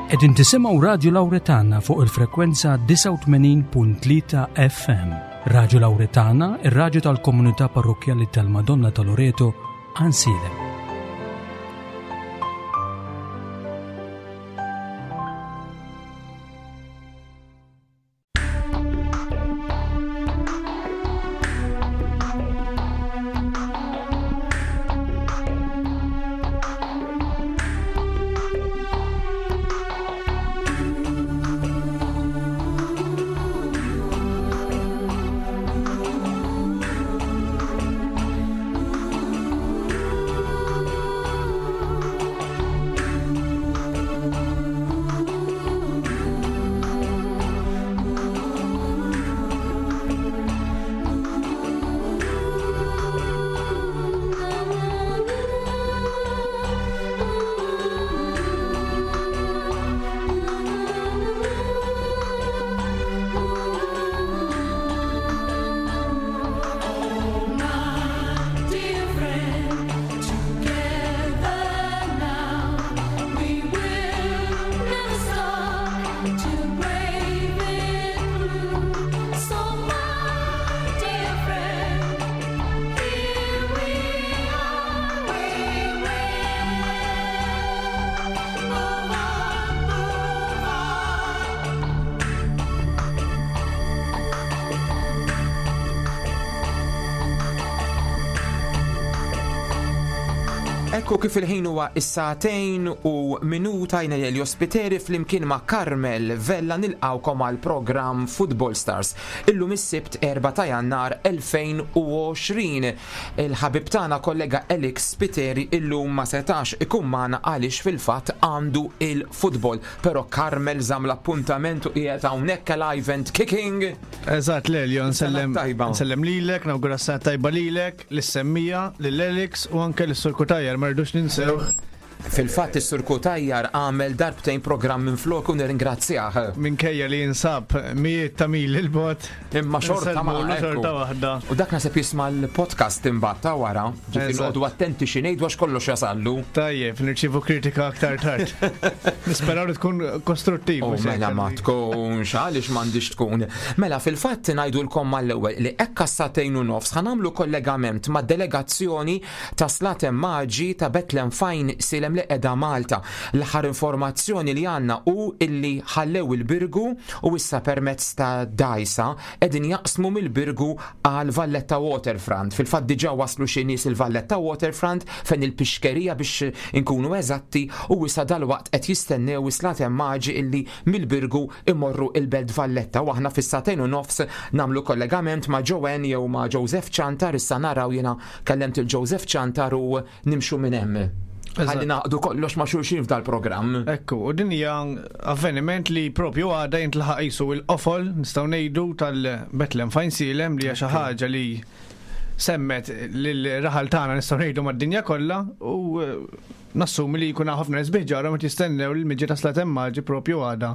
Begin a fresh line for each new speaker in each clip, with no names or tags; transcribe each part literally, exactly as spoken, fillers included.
Qegħdin tisimgħu Radju Lawretana fuq il-frekwenza disgħa u tmenin punt tlieta F M. Radju Lawretana, ir-radju tal-komunità parrokkjali tal-Madonna ta' Loreto, Għajnsielem.
Ekku kif il-ħin huwa is-sagħtejn u minuta jien Elio Spiteri flimkien ma' Carmel Vella nilqawkom għal programm Football Stars. Illum is-Sibt erba' ta' Jannar elfejn u għoxrin. Il-ħabib tagħna kollega Alex Spiteri illum ma setax ikun magħna għaliex fil-fatt għandu il-football. Però Carmel żamm l-appuntament u qiegħed hawnhekk alive and kicking.
Eżatt, Lelio, nsellem
Sena tajba.
nsellem lilek, nawgura s-sena tajba lilek, lis-semmija, lil Alex u anke lis-Sur Cutajar, ma rridux ninsew.
Fil-fatt is-Sur Cutajar għamel darbtejn programm minn flok u nirringrazzjah.
Minkejja li jinsab mijiet ta' mil il-bot.
Imma xorta ma'
Nsellmu
ekku.
xorta waħda.
U dak naħseb jisma' l-podcast imbagħad ta' wara, ġifieri
Eżatt.
noqogħdu attenti xi ngħidu għax kollox jasallu.
Tajjeb, nirċievu kritika aktar tard. Nisperaw li tkun kostruttiv,
Oh,
mhux hekk
mela ma
għalli.
tkunx, għaliex m'għandix tkun. Mela fil-fatt ngħidulkom mal-ewwel li hekk għas-sagħtejn u nofs ħanamlu kollegament ma' delegazzjoni ta' Slaten Maġi ta' Bethlehem F'Għajnsielem li qiegħda Malta. L-aħħar informazzjoni li għandna hu illi ħallew il-Birgu u issa permezz ta' dajsa qegħdin jaqsmu mill-Birgu għal Valletta Waterfront. Fil-fatt diġà waslu xi nies il-Valletta Waterfront fejn il-pixkerija biex inkunu eżatti u issa dalwaqt qed jistennew is-Slaten Maġi illi mill-Birgu imorru il-Belt Valletta u aħna fis-sagħtejn u nofs nagħmlu kollegament ma' Joanne jew ma' Joseph Ciantar. Issa naraw jiena kellemt il-Joseph Ciantar u nimxu minn hemm.
Eżatt.
Ħalli naqdu kollox ma' xulxin f'dal-programm.
Ekku, u din hija avveniment li propju għada jintlaħaq qisu il-qofol, nistgħu ngħidu, tal-Bethlehem F'Għajnsielem, li hija xi ħaġa li semmet lil-raħal tagħna nistgħu ngħidu mad-dinja kollha u, eh, nassumi li jkun hawn ħafna nies biħġarhom qed jistennew li l-miġja ta' Slaten Maġi propju għada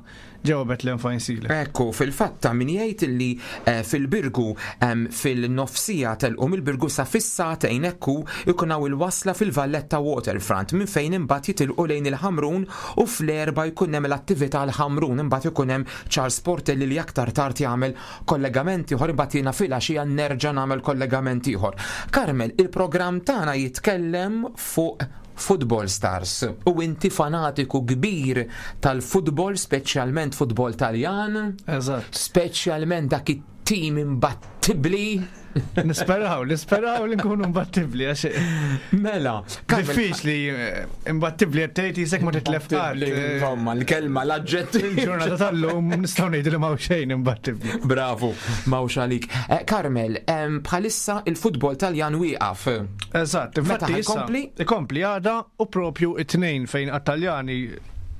ġewwa Bethlehem F'Għajnsielem.
Ekku, fil-fatt ta' min jgħid li, eh, fil-Birgu, em, fil-nofsija telqu mill-Birgu sa fis-sagħtejn ekku jkun hawn il-wasla fil-Valletta Waterfront minn fejn imbagħad jitilqu lejn il-Ħamrun u fl-erba' jkun hemm l-attività l-Ħamrun, imbagħad ikun hemm Charles Portelli li aktar tard jagħmel kollegament ieħor, imbagħad jiena filgħaxija nerġa' nagħmel kollegament ieħor. Carmel, il-programm tagħna jitkellem fuq Football Stars u inti fanatiku kbir tal-futbol, speċjalment futbol Taljan.
Eżatt.
Speċjalment dak it-tim imbattibbli.
Nisperaw, nisperaw li nkunu imbattibbli, għax
Mela, Carmel,
diffiċli, eh, imbattibbli qed tgħid jisek ma titlef qatt,
Imbattibbli,
eh,
insomma, l-kelma, l-aġġettiv.
Il-ġurnata tal-lum nistgħu ngħidu li m'hawn xejn imbattibbli.
Bravo, m'hawnx għalik. Eh, Carmel, em, bħalissa il-futbol Taljan wieqaf.
Eżatt,
Meta
infatti issa
ħajkompli?
ikompli għada u propju it-tnejn fejn għat-Taljani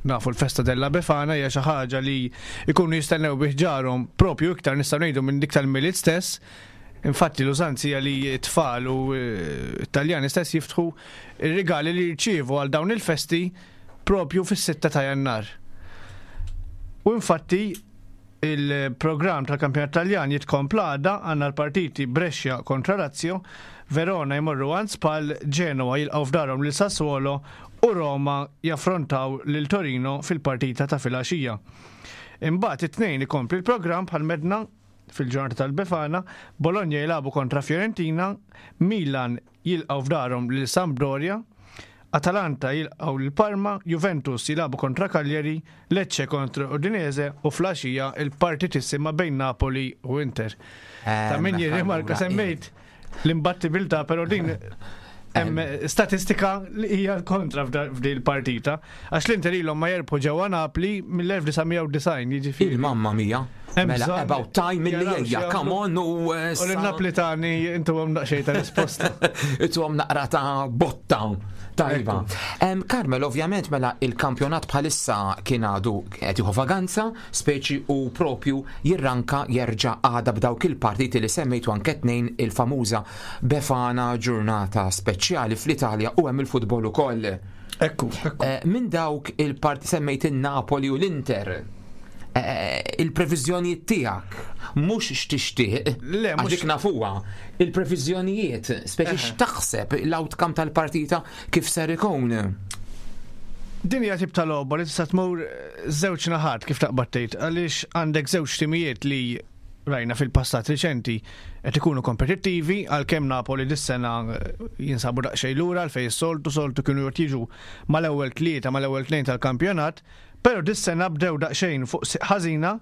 nafu l-festa della Befana hija xi ħaġa li jkunu jistennew bih ġarhom propju iktar nistgħu ngħidu minn dik tal-Milied stess. Infatti l-użanzi hija li t-tfal u, eh, t-Taljani stess jiftħu ir-rigali li jirċievu għal dawn il-festi propju fis-sitta ta' Jannar. U infatti Il-programm tal-kampjonat Taljan jitkompla għada. Għandna l-partiti Brescia kontra Lazio, Verona jmorru għand Spal, Genoa jilqgħu f'darhom lil Sassuolo u Roma jaffrontaw lil Torino fil-partita ta' filgħaxija. Imbagħad it-Tnejn ikompli l-programm bħal medna fil-ġurnata tal-Befana, Bologna jilagħbu kontra Fiorentina, Milan jilqgħu f'darhom lil Sampdoria, Atalanta jilqgħu lil Parma, Juventus jilagħbu kontra Cagliari, Lecce kontra Udinese u filgħaxija il-partitissima bejn Napoli u Inter. Ta' min jirrimarka, semmejt l-imbattibilità, però din hemm statistika li hija l-kontra f'din il-partita, għax l-Inter ilhom ma jerbħu ġewwa Napli mill-elf disa' mija u disgħin, jiġifieri.
Il-mamma mia.
Hemm
Mela,
bżonn
about time milli
jaraw
ejja,
x'jagħmlu.
Come on u eh,
U l-Naplitani intuhom daqsxejn ta' risposta.
Ituhom naqra ta' botta. Tajba. Em, Carmel, ovvjament, mela il-kampjonat bħalissa kien għadu qed jieħu vaganza, speċi u propju jirranka jerġa' għada b'dawk il-partiti li semmejtu, anke tnejn il-famuża Befana, ġurnata speċjali fl-Italja u hemm il-futbol ukoll.
Ekku, ekku.
Eh, Minn dawk il-parti semmejt il-Napoli u l-Inter. Eh, Il-previżjonijiet tiegħek mhux x'tixtieq,
Le,
għax
mhux-
dik nafuha. Il-previżjonijiet, speċi x'taħseb l-outcome tal-partita kif ser ikun?
Din hija tip ta' logħba li tista' tmur żewġ naħat, kif taqbad tgħid, għaliex għandek żewġ timijiet li rajna fil-passat riċenti qed ikunu kompetittivi, għalkemm Napoli dis-sena eh, jinsabu daqsxejn lura għal fejn is-soltu soltu kienu jiġu mal-ewwel tlieta, mal-ewwel tnejn tal-kampjonat, però dis-sena bdew daqsxejn fuq si- ħażina,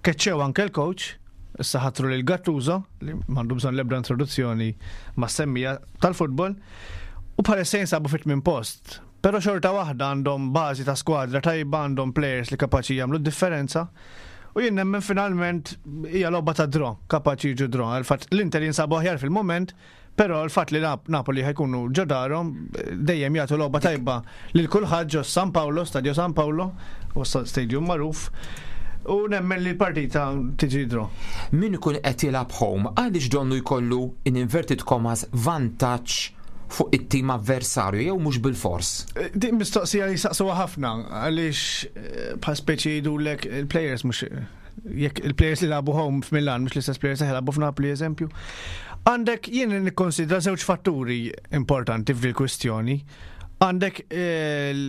keċċew anke l-coach, issa ħatru lil Gattuso li m'għandu bżonn l-ebda introduzzjoni mas-semmija tal-futbol, u bħalissa jinsabu fit-tmien post. Però xorta waħda għandhom bażi ta' skwadra tajba, għandhom players li kapaċi jagħmlu d-differenza. U jien nemmen finalment hija logħba ta' draw, kapaċi jiġu draw. Il-fatt l-Inter jinsabu aħjar fil-moment, però l-fatt li Nap- Napoli ħa jkunu ġo darhom dejjem jagħtu logħba tajba lil kulħadd ġo San Paolo, Stadio San Paolo, u stadium magħruf. U nemmen li l-partita tiġi draw.
Min ikun qed jilgħab home, għaliex donnu jkollu in inverted commas vantaġġ fuq it-tim avversarju, jew mhux bil-fors?
Eh, Din mistoqsija li saqsuha ħafna, għaliex eh, bħal speċi jgħidulek il-players mhux jekk il-players li lagħbu home f'Milan mhux l-istess players li lagħbu f'Napoli, eżempju. Għandek, jien nikkonsidra żewġ fatturi importanti f'dil kwistjoni. Għandek il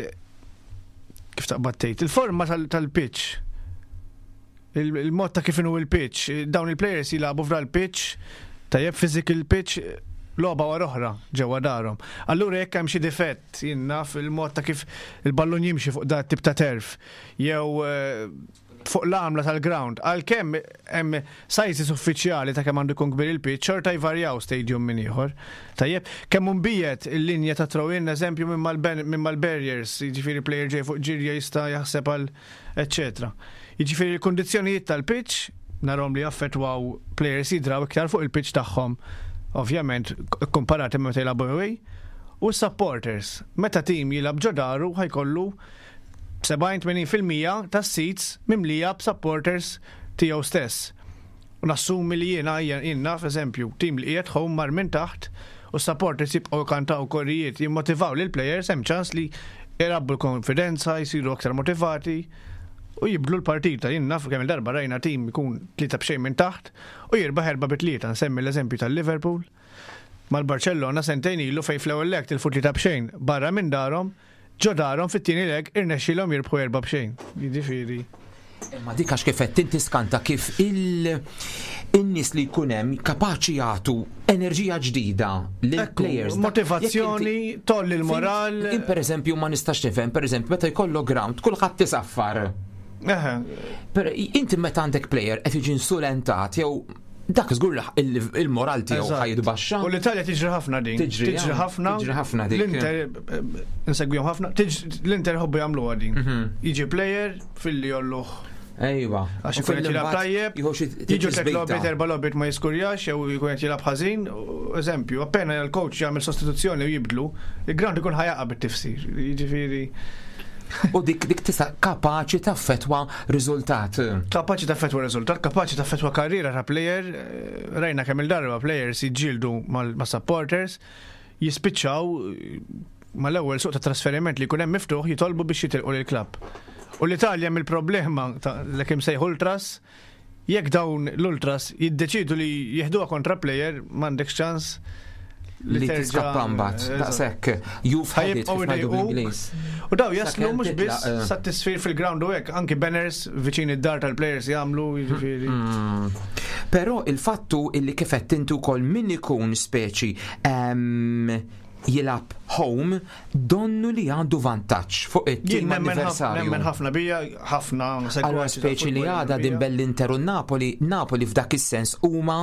kif taqbad tgħid, il-forma tal- tal-pitch. Il- Il-mod ta' kif inhu il-pitch. Dawn il-players jilagħbu f'dal pitch, tajjeb, physical pitch, logħba wara oħra ġewwa darhom. Allura jekk hemm xi difett, jien naf, il-mod ta' kif il-ballun jimxi fuq dat tip ta' turf jew eh, fuq l-għamla tal-ground, għalkemm hemm sizes uffiċjali ta' kemm għandu jkun kbir il-pitch, xorta jvarjaw stadium minn ieħor. Tajjeb, kemm imbiegħed il-linja ta' throw-in, eżempju, minn mal-ben- minn mal-barriers, jiġifieri player ġej fuq ġirja jista' jaħseb għal eċetera. Jiġifieri l-kundizzjonijiet tal-pitch narahom li jaffettwaw players jidraw iktar fuq il-pitch tagħhom, ovvjament komparati meta jilagħbu away, u supporters. Meta tim jilgħab ġo daru ħa jkollu sebgħin-tmenin fil-mija tas-seats mimlija b'supporters tiegħu stess. U nassumi li jiena jien naf, eżempju, tim li qiegħed home mar minn taħt u supporters jibqgħu kantaw korijiet, jimmotivaw lil players, hemm ċans li jrabbu l-konfidenza, jsiru aktar motivati u jibdlu l-partita. Jien naf kemm il-darba rajna tim ikun tlieta b'xejn minn taħt u jirbaħ erba' bi tlieta. Nsemmi l-eżempju tal-Liverpool mal-Barcellona sentejn ilu, fejn fl-ewwel leg tilfu tlieta b'xejn barra minn darhom, ġo darhom fit-tieni leg irnexxielhom jirbħu erba' b'xejn. Jiġifieri.
Imma dik għax kif qed inti skanta kif il in-nies li jkun hemm kapaċi jagħtu enerġija ġdida lill-players.
Motivazzjoni, tgħolli l-moral.
In per eżempju ma nistax nifhem, per eżempju, meta jkollok ground kulħadd tisaffar.
Eħe,
Per inti meta għandek player qed jiġi insulentat jew dak, żgur il- il-moral tiegħu
Eżatt.
ħa jitbaxxa.
U l-Italja tiġri ħafna din.
Tiġri,
Tiġri
ja.
ħafna.
Tiġri ħafna dik.
L-Inter, eh, insegwihom ħafna. Tiġ- L-Inter ħobbu jagħmluha din.
Mhm.
Jiġi player filli jgħolluh
Ejwa.
għax
U
ikun qed jilgħab
fil-imbagħad
tajjeb,
jieħu xi
jiġu tliet
tiżbita.
logħbiet, erba' logħbiet ma jiskurjax jew jkun qed jilgħab ħażin, u eżempju, appena l-coach jagħmel sostituzzjoni u jibdlu, il-ground ikun ħa jaqa' bit-tifsir. Jiġifieri
U dik dik tista' kapaċi taffetwa riżultat.
Kapaċi taffetwa riżultat, kapaċi taffetwa karriera ta' player, eh, rajna kemm il-darba players jiġġieldu mal- ma' supporters, jispiċċaw eh, mal-ewwel suq ta' trasferiment li jkun hemm miftuħ jitolbu biex jitilqu lill-klabb. U l-Italja mill-problema ta' l kemm sejħu ultras Jekk dawn l-ultras jiddeċidu li jieħduha kontra player, m'għandekx ċans
li
terġa'
tiskappa mbagħad.
Eżatt.
Daqshekk. You've had it
Ħa jibqgħu
kif ngħidu
idejquk.
bl-Ingliż.
U daw jaslu
Sakemm
mhux biss
titlaq, eh.
sa tisfir fil-ground u hekk, anki banners viċin id-dar tal-players jagħmlu, jiġifieri.
Mm. Però il-fattu illi kif qed intu wkoll min ikun speċi em, jilgħab home donnu li għandu vantaġġ fuq
Jien
it-tim
nemmen ħafna-
avversarju.
nemmen ħafna bija, ħafna
Allora
segwaċi
speċi li
tal-futbol
għada din
bija.
bell-Inter u Napoli, Napoli f'dak is-sens huma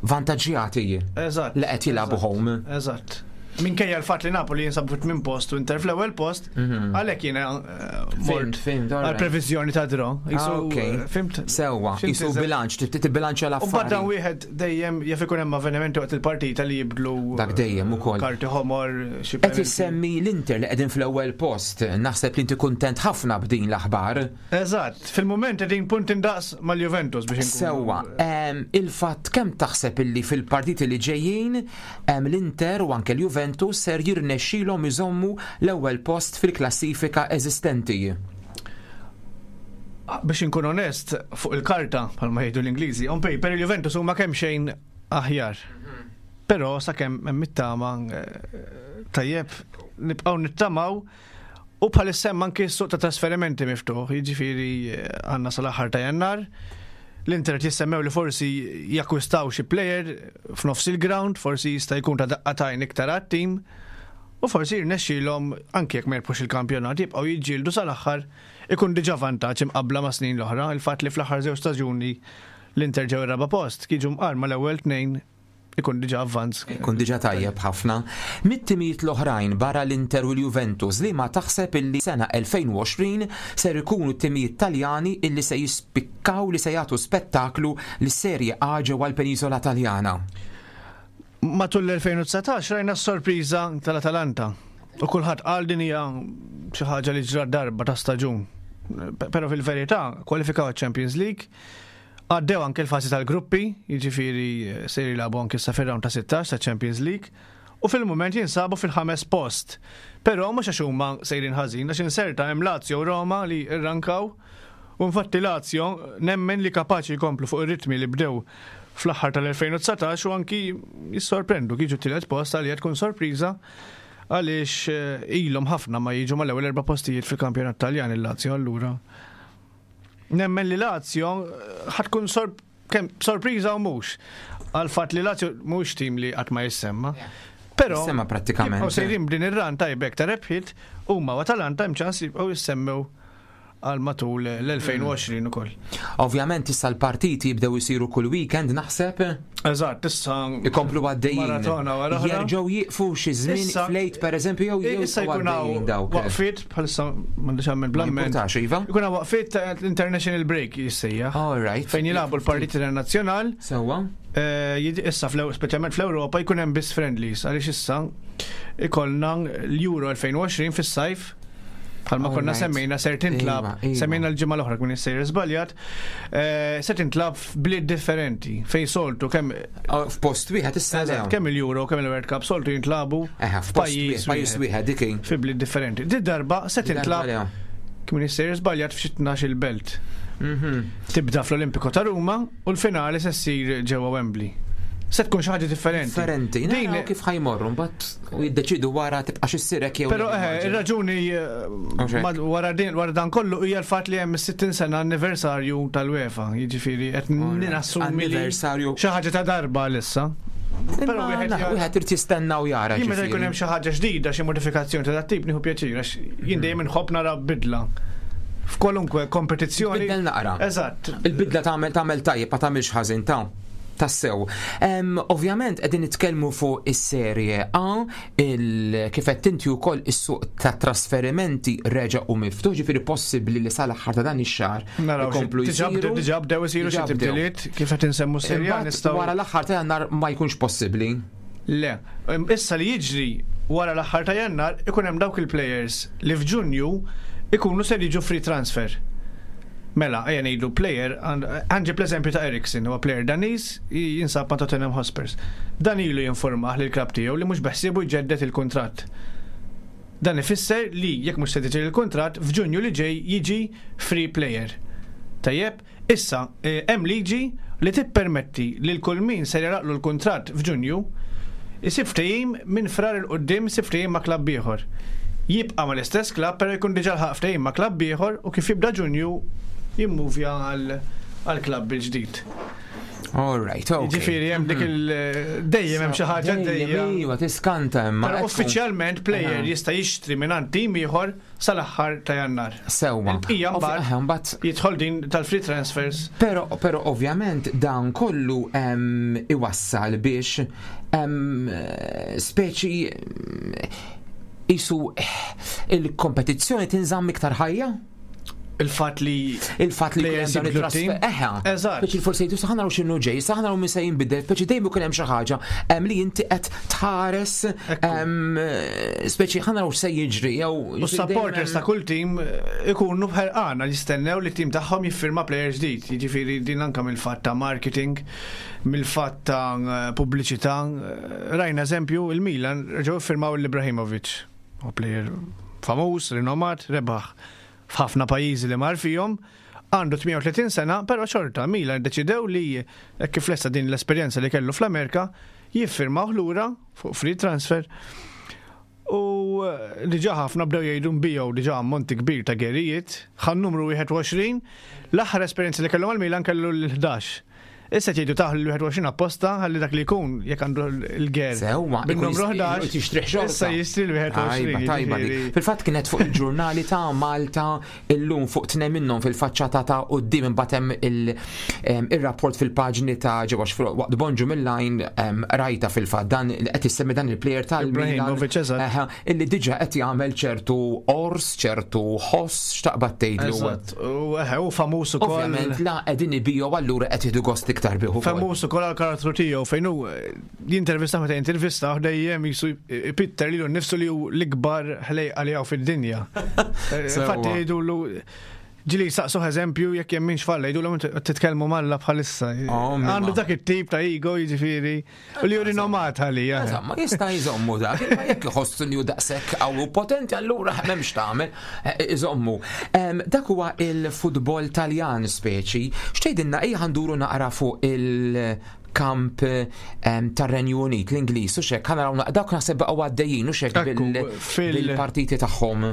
vantaġġjati
Eżatt.
li qed jilagħbu
eżatt,
home.
Eżatt. Minkejja l-fatt li Napoli jinsabu fit-tmien post u Inter fl-ewwel post, għalhekk jiena eh, mort
Fhimt, fhimt, all
għal
right.
previżjoni ta' draw.
Ah,
Jisu,
ok.
eh, Fhimt?
Sewwa,
Fhimt
jisu
eżatt.
bilanċ, tibbilanċja
U mbagħad dan
l-affari.
wieħed dejjem jaf ikun hemm avvenimenti waqt il-partita li jibdlu
Dak dejjem ukoll.
karti ħomor, xi
Qed
penalty.
issemmi l-Inter li qegħdin fl-ewwel post, naħseb li inti kuntent ħafna b'din l-aħbar.
Eżatt, fil-moment qegħdin punt indaqs mal-Juventus biex inkunu.
Sewwa, em, il-fatt kemm taħseb illi fil-partiti li ġejjin em, l-Inter u anke l-Juventus ser jirnexxilhom iżommu l-ewwel post fil-klassifika eżistenti.
Ah, biex inkun onest, fuq il-karta, bħalma jgħidu l-Ingliżi, on paper il-Juventus huma kemm xejn aħjar. Però sakemm hemm it-tama eh, tajjeb nibqgħu nittamaw u bħalissa hemm anki s-suq ta' trasferimenti miftuħ, jiġifieri eh, għandna sal-aħħar ta' Jannar. L-Inter jissemmew li forsi jakkwistaw xi player f'nofs il-ground, forsi jista' jkun ta' daqqa t'għajn iktar għat-tim. U forsi jirnexxilhom anke jekk ma jirbħux il-kampjonat jibqgħu jiġġieldu sal-aħħar, ikun diġà vantaġġ imqabbla ma' snin l-oħra, il-fatt li fl-aħħar żewġ staġuni l-Inter ġew ir-raba' post, jiġu mqar mal-ewwel tnejn, ikun diġà avvanz.
Kun diġà tajjeb ħafna. Mit-timijiet l-oħrajn barra l-Inter u l-Juventus, li ma taħseb illi sena elfejn u għoxrin ser ikunu t-timijiet Taljani illi se jispikkaw, li se jagħtu spettaklu lis-Serie A ġewwa l-Penisola Taljana?
Matul l-elfejn u dsatax rajna s-sorpriża tal-Atalanta. U kulħadd qal din hija xi ħaġa li ġrat darba ta' staġun. Però fil-verità kwalifikaw Champions League, għaddew anke l-fażi tal-gruppi, jiġifieri eh, se jilagħbu anke sa fir-round ta' sittax ta' Champions League, u fil-mument jinsabu fil-ħames post. Però mhux għax huma sejrin ħażin, għax inserta hemm Lazio u Roma li rrankaw. U infatti Lazio nemmen li kapaċi jkomplu fuq ir-ritmi li bdew fl-aħħar tal-elfejn u dsatax u anki jissorprendu jiġu tielet post, għalija tkun sorpriża għaliex eh, ilhom ħafna ma jiġu mal-ewwel erba' postijiet fil-kampjonat Taljan il-Lazio. Allura nemmen li Lazio eh, ħa tkun sor kemm sorpriża u mhux għal fatt li Lazio mhux tim li qatt ma jissemma. Però
Jissemma prattikament.
jibqgħu sejrin b'din ir-run tajbek ta' rebħiet huma u Atalanta, hemm ċans jibqgħu jissemmew għal matul l-elfejn u għoxrin ukoll.
Ovvjament issa l-partiti jibdew isiru kull weekend, naħseb.
Eżatt, issa
ikomplu għaddejjin.
Maratona wara oħra.
Jerġgħu jieqfu xi żmien
Issa-
flejt pereżempju jew jew
Issa
jibqgħu
jkun
għaddejjin
hawn
dawk?
waqfiet, bħalissa m'għandix għamil
Ma
blamment.
jimpurtax, iva?
Ikun hawn waqfiet ta' international break jissejjaħ.
All right.
Fejn jilagħbu l-partiti internazzjonal,
Sewwa.
eh, jid- issa fl- speċjalment fl-Ewropa jkun hemm biss friendlies għaliex issa ikollna l-Euro elfejn u għoxrin fis-sajf, bħalma konna
Alright.
semmejna ser tintlab,
Iva, iva.
semmejna l-ġimgħa l-oħra kun jissejjer żbaljat, eh, se tintlab f'bliet differenti fejn soltu kemm
Oh, f'post wieħed issa le.
Eżatt, kemm il-Euro kemm il-World Cup soltu jintlabu
Eħe, f'post wieħed, pajjiż wieħed dik hi.
fi bliet differenti. Di darba se
Di darba
tintlab
le.
kemm jissejjer żbaljat f'xi tnax il-belt.
Mhm.
Tibda fl-Olimpiko ta' Ruma u l-finali se ssir ġewwa Wembley. Se tkun xi ħaġa differenti.
Differenti.
Din
Naraw kif ħa jmorru, mbagħad u jiddeċidu wara tibqa' xissirek jew
Però
le,
eh,
immaġina.
ir-raġuni eh,
Mhux hekk.
mad- wara din wara dan kollu hija l-fatt li hemm is-sittin sena anniversarju tal-UEFA, jiġifieri qed
Alright.
nassumi li
Anniversarju.
xi ħaġa ta' darba issa. Però
Imma
wieħed
na,
jara-
wieħed irid jistenna u jara.
Jien meta
ġifieri.
jkun hemm xi ħaġa ġdida, xi modifikazzjoni ta' dat tip, nieħu pjaċir għax jien dejjem inħobb nara bidla f'kwalunkwe kompetizzjoni.
Tbiddel naqra.
Eżatt.
Il-bidla tagħmel tagħmel tajjeb, ma tagħmilx ħażin ta' tassew. Em, Ovvjament qegħdin nitkellmu fuq is-Serie A, il kif qed inti wkoll is-suq ta' trasferimenti reġa' u miftuħ, ġifieri possibbli li sal-aħħar ta' dan ix-xahar
Naraw xi-
ikomplu
diġà
jsiru.
bdew diġà bdew isiru xi
Diġà bdew.
tibdiliet kif qed insemmu Serie A
Imbagħad
nistgħu
wara l-aħħar ta' Jannar ma jkunx possibbli.
Le, Im- issa li jiġri wara l-aħħar ta' Jannar ikun hemm dawk il-players li f'Ġunju ikunu se jiġu free transfer. Mela, ejja ngħidu player, ħa nġib l-eżempju ta' Eriksen, huwa player Daniż jinsab ma' Tottenham Hotspurs. Dan ilu jinformah lil klabb tiegħu li mhux beħsiebu jġeddet il-kuntratt. Dan ifisser li jekk mhux se tiġi il-kuntratt, f'Ġunju li ġej jiġi free player. Tajjeb, issa eh, hemm liġi li tippermetti lil kull min ser jagħlaqlu l-kuntratt f'Ġunju isib ftehim minn Frar 'il quddiem, isib ftehim ma' klabb ieħor. Jibqa' mal-istess klabb, però jkun diġà lħaq ftehim ma' klabb ieħor u kif jibda Ġunju jimmuvja għal għal klabb il-ġdid.
All right, ok.
Ġifieri hemm dik il dejjem hemm xi ħaġa dejjem.
Iva, tiskanta imma.
Però
ekku.
uffiċjalment player
Aha.
jista' jixtri minn tim ieħor sal-aħħar ta' Jannar.
Sewwa.
Il-bqija
Ovvi-
mbagħad
aha, mbagħad
jidħol din tal-free transfers.
Pero, pero ovvjament dan kollu em, iwassal biex em, speċi em, isu il-kompetizzjoni tinżamm iktar ħajja?
Il-fatt li
Il-fatt li
players
jkun hemm dan
jibdlu
it-trasfer.
t-team.
Eħa.
Eżatt.
Speċi forsi jgħidu saħ naraw x'inhu ġej, saħ naraw min se jinbidel, speċi dejjem ikun hemm xi ħaġa em, li inti qed tħares
Ekku.
em, speċi ħa naraw x'se jiġri jew
U supporters ta' kull tim eh, ikunu bħerqana li jistennew li tim tagħhom jiffirma player ġdid. Jiġifieri din anka mill-fatt ta' marketing, mill-fatt ta' eh, pubbliċità. Eh, Rajna eżempju il-Milan reġgħu iffirmaw l-Ibrahimovic. U player famuż, rinomat, rebaħ f'ħafna pajjiżi li mar fihom. Għandu tmienja u tletin sena, però xorta Milan deċidew li hekk kif lesta din l-esperjenza li kellu fl-Amerika, jiffirmaw lura fuq free transfer. U eh, diġa ħafna bdew jgħidu nbiegħu diġa ammonti kbir ta' gerijiet, ħa n-numru wieħed u għoxrin, l-aħħar esperjenza li kellu mal-Milan kellu l-ħdax. Issa jgħidu taħlu l-wieħed u għoxrin apposta ħalli dak li jkun jekk għandu l-ger.
Sewwa,
bin-numru ħdax.
Tixtrih xorta.
Issa jixtri l-wieħed u għoxrin.
Tajba, tajba dik.
Jiġifieri.
Fil-fatt kienet fuq il-ġurnali ta' Malta illum, fuq tnejn minnhom fil-faċċata ta' quddiem, imbagħad hemm il- em, ir-rapport fil-paġni ta' ġewwa xfru- waqt Bonġu mill-line em, rajta fil-fatt dan qed issemmi dan il-player tal-Milan.
Ibrahimovic, eżatt.
Eħe, illi diġà qed jagħmel ċertu ors, ċertu ħoss, x'taqbad tgħidlu.
Eżatt. U eħe, u famuż ukoll.
Ovvjament la qegħdin ibiju, allura qed jieħdu gost iktar bih ukoll.
Famuż ukoll għal karattru tiegħu fejn hu eh, jintervista, meta jintervista dejjem jisu ipitter lilu nnifsu li hu l-ikbar ħlejqa li hawn fid-dinja. Eh,
Sewwa.
Infatti jgħidulu ġieli saqsuh eżempju jekk jemminx f'Alla, jgħidulu titkellmu m'Alla bħalissa.
Oh, mimma.
Għandu dak it-tip ta' ego, jiġifieri, u li hu rinomat għalija.
Eżatt, ma jista' jżommu dak, imma jekk iħossu li hu daqshekk qawwi u potenti, allura m'hemmx tagħmel, eh, iżommu. Em, Dak huwa il-futbol Taljan speċi. X'tgħidilna, ejja ħa nduru naqra fuq il-kamp em, tar-Renju Unit, l-Ingliż, u xek, ħa naraw dawk naħseb baqgħu għaddejjin u xek
Ekku,
bil-
fil-
bil-partiti tagħhom.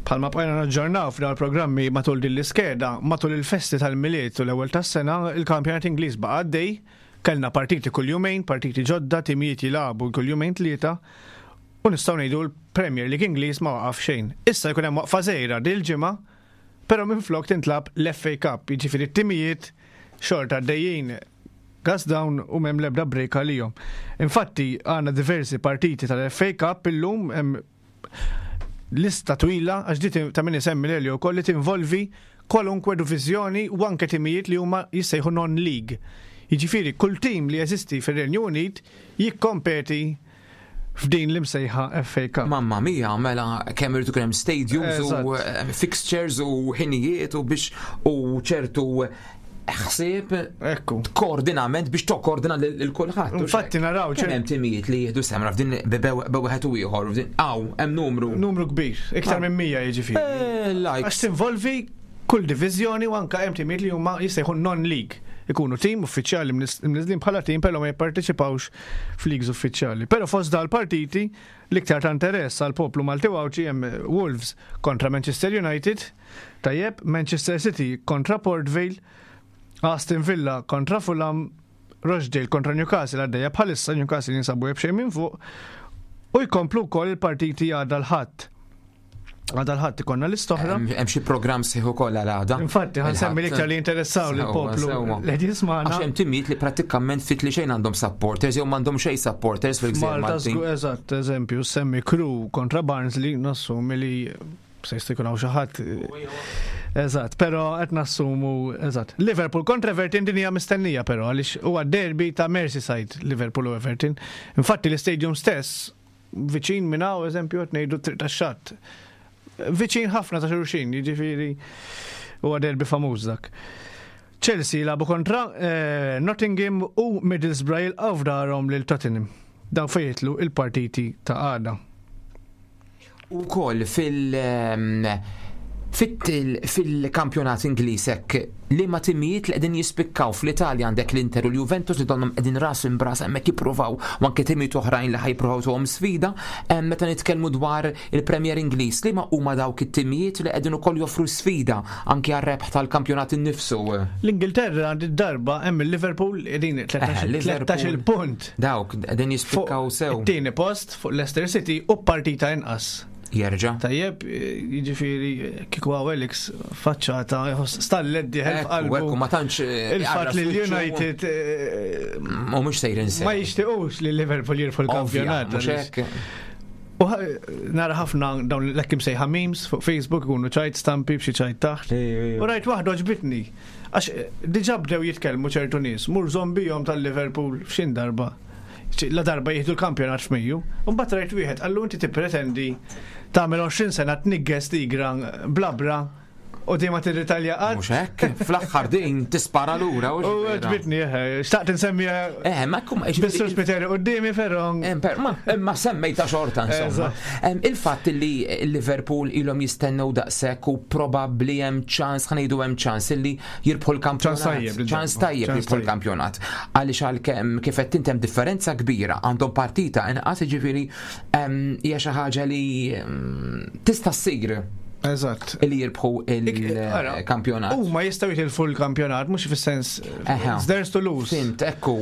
Palma bqajna naġġornaw f'dawn il-programmi matul din l-iskeda, matul il-festi tal-Milied u l-ewwel tas-sena, il-kampjonat Ingliż baqa' għaddej, kellna partiti kull jumejn, partiti ġodda, timijiet jilagħbu kull jumejn tlieta, u nistgħu ngħidu l-Premier League Ingliż ma waqaf xejn. Issa jkun hemm waqfa żgħira dil-ġimgħa, però minflok tintlagħab l-F A Cup, jiġifieri t-timijiet xorta għaddejjin gas down u m'hemm l-ebda break għalihom. Infatti għandna diversi partiti tal-F A Cup illum, hemm lista twila, għax di ta' min isemmi l wkoll li tinvolvi kwalunkwe divizjoni u anke timijiet li huma jissejħu non-league. Jiġifieri kull tim li jeżisti fir-Renju Unit jikkompeti f'din l-imsejħa F A Cup.
Mamma mia, mela kemm irid ikun hemm stadiums u
Eżatt.
eh, fixtures u ħinijiet u biex u ċertu ħsieb
Ekku.
koordinament biex tokkordina lil kulħadd.
Infatti naraw
kemm hemm timijiet li jieħdu semra f'din bewħed u ieħor f'din hawn hemm numru.
Numru kbir, iktar
Ah.
minn mija jiġifieri.
Eh,
Għax
Likes.
tinvolvi kull diviżjoni u anka hemm timijiet li huma jissejħu non-league. Ikunu tim uffiċjali mniżlin bħala tim, però ma jipparteċipawx f'leagues uffiċjali. Però fost dal-partiti l-iktar ta' interess għal poplu Malti Għawdxi hemm Wolves kontra Manchester United, tajjeb, Manchester City kontra Port Vale, Aston Villa kontra Fulham, Rochdale kontra Newcastle għaddejja bħalissa, Newcastle jinsabu b'xejn minn fuq, u jkomplu wkoll il-partiti għadha l-Ħadd. Għada l-Ħadd ikollna l-istoħra.
Hemm hemm xi programm sħiħ ukoll għal għada.
Infatti, ħa nsemmi l-iktar li interessaw
Sewwa,
lill-poplu
sewwa.
li qed jismagħna.
Għax hemm timijiet li prattikament fit li xejn għandhom supporters jew m'għandhom xejn supporters fil-gżejjer
Malta
Maltin.
żgur, eżatt, eżempju, semmi Crewe kontra Barnsley, nassumi li se jista' jkun hawn xi ħadd. Eżatt, però qed nassumu, eżatt. Liverpool kontra Everton, din hija mistennija però għaliex huwa derby ta' Merseyside, Liverpool u Everton. Infatti l-istadium stess viċin minn hawn, eżempju, qed ngħidu Triq tax-Xatt. Viċin ħafna ta' xulxin, jiġifieri huwa derby famuż dak. Chelsea lagħbu kontra eh, Nottingham u Middlesbrough jilqgħu f'darhom lil Tottenham. Dawn fejn jidħlu il-partiti ta' għada.
U koll fil- ehm, Fil-kampjonat Ingliż hekk li ma timijiet li qegħdin jispikkaw fl-Italja għandek l-Inter u l-Juventus li donnhom qegħdin ras imb'ras hemmhekk jippruvaw u anke timijiet oħrajn li ħa jippruvaw tuhom sfida. Meta nitkellmu dwar il-Premier Ingliż, li ma huma dawk it-timijiet li qegħdin ukoll joffru sfida anke għar-rebħ tal-kampjonat innifsu?
L-Ingilterra għand darba hemm il-Liverpool qegħdin tlettax-il punt.
Dawk qegħdin jispikkaw sew.
It-tieni post fuq Leicester City u partita inqas.
Jerġa.
Tajjeb, jiġifieri kieku hawn Alex faċċata, stallet dieħel f'qalbu.
Ma tantx
il-fatt li l-United
u mhux sejrin sew.
Ma jixtiequx li Liverpool jirfu l-kampjonat. U nara ħafna dawn l-hekk imsejħa memes fuq Facebook ikunu ċajt stampi b'xi ċajt taħt. U rajt waħda għoġbitni. Għax diġà bdew jitkellmu ċertu nies, mur zombijhom tal-Liverpool f'xin darba. La darba jieħdu l-kampjonat f'Mejju. U mbagħad rajt wieħed qallu inti tippretendi tagħmel għoxrin sena tnigges tigra blabra u dejjem ma tirritalja qatt.
Mhux hekk, fl-aħħar din tispara lura.
U għoġbitni, xtaqt insemmiha.
Eh, ma kum
Bissur Spiteri quddiemi però.
Imma semmejta xorta insomma. Il-fatt li Liverpool ilhom jistennew daqshekk u probabbli hemm ċans, ħa ngħidu hemm ċans illi jirbħu l-kampjonat. Ċans tajjeb jirbħu l-kampjonat. Għaliex għalkemm kif qed int hemm differenza kbira, għandhom partita inqas, jiġifieri hija xi ħaġa li tista' ssir.
Eżatt.
Li jirbħu il-kampjonat.
U ma jistgħu jitilfu l-kampjonat, mhux fis-sens it's theirs to lose.
Fint, ekku.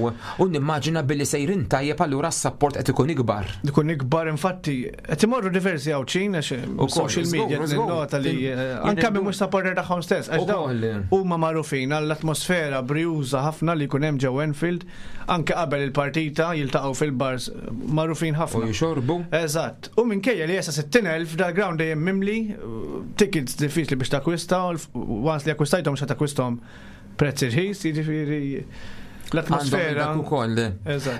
U nimmaġina billi sejrin tajjeb allura s-support qed ikun ikbar.
Ikun ikbar, infatti, qed imorru diversi Għawdxin għax social media nota li anke minn mhux supporter tagħhom stess, għax dawn huma magħrufin għall-atmosfera brijuża ħafna li jkun hemm ġew Enfield, anke qabel il-partita jiltaqgħu fil-bars magħrufin ħafna.
U jxorbu.
Eżatt. U minkejja li jesa sittin elf dal-ground dejjem mimli, tickets diffiċli biex takwista, once li akkwistajthom xa takkwisthom prezz irħis, jiġifieri l-atmosfera.
Għandhom ukoll.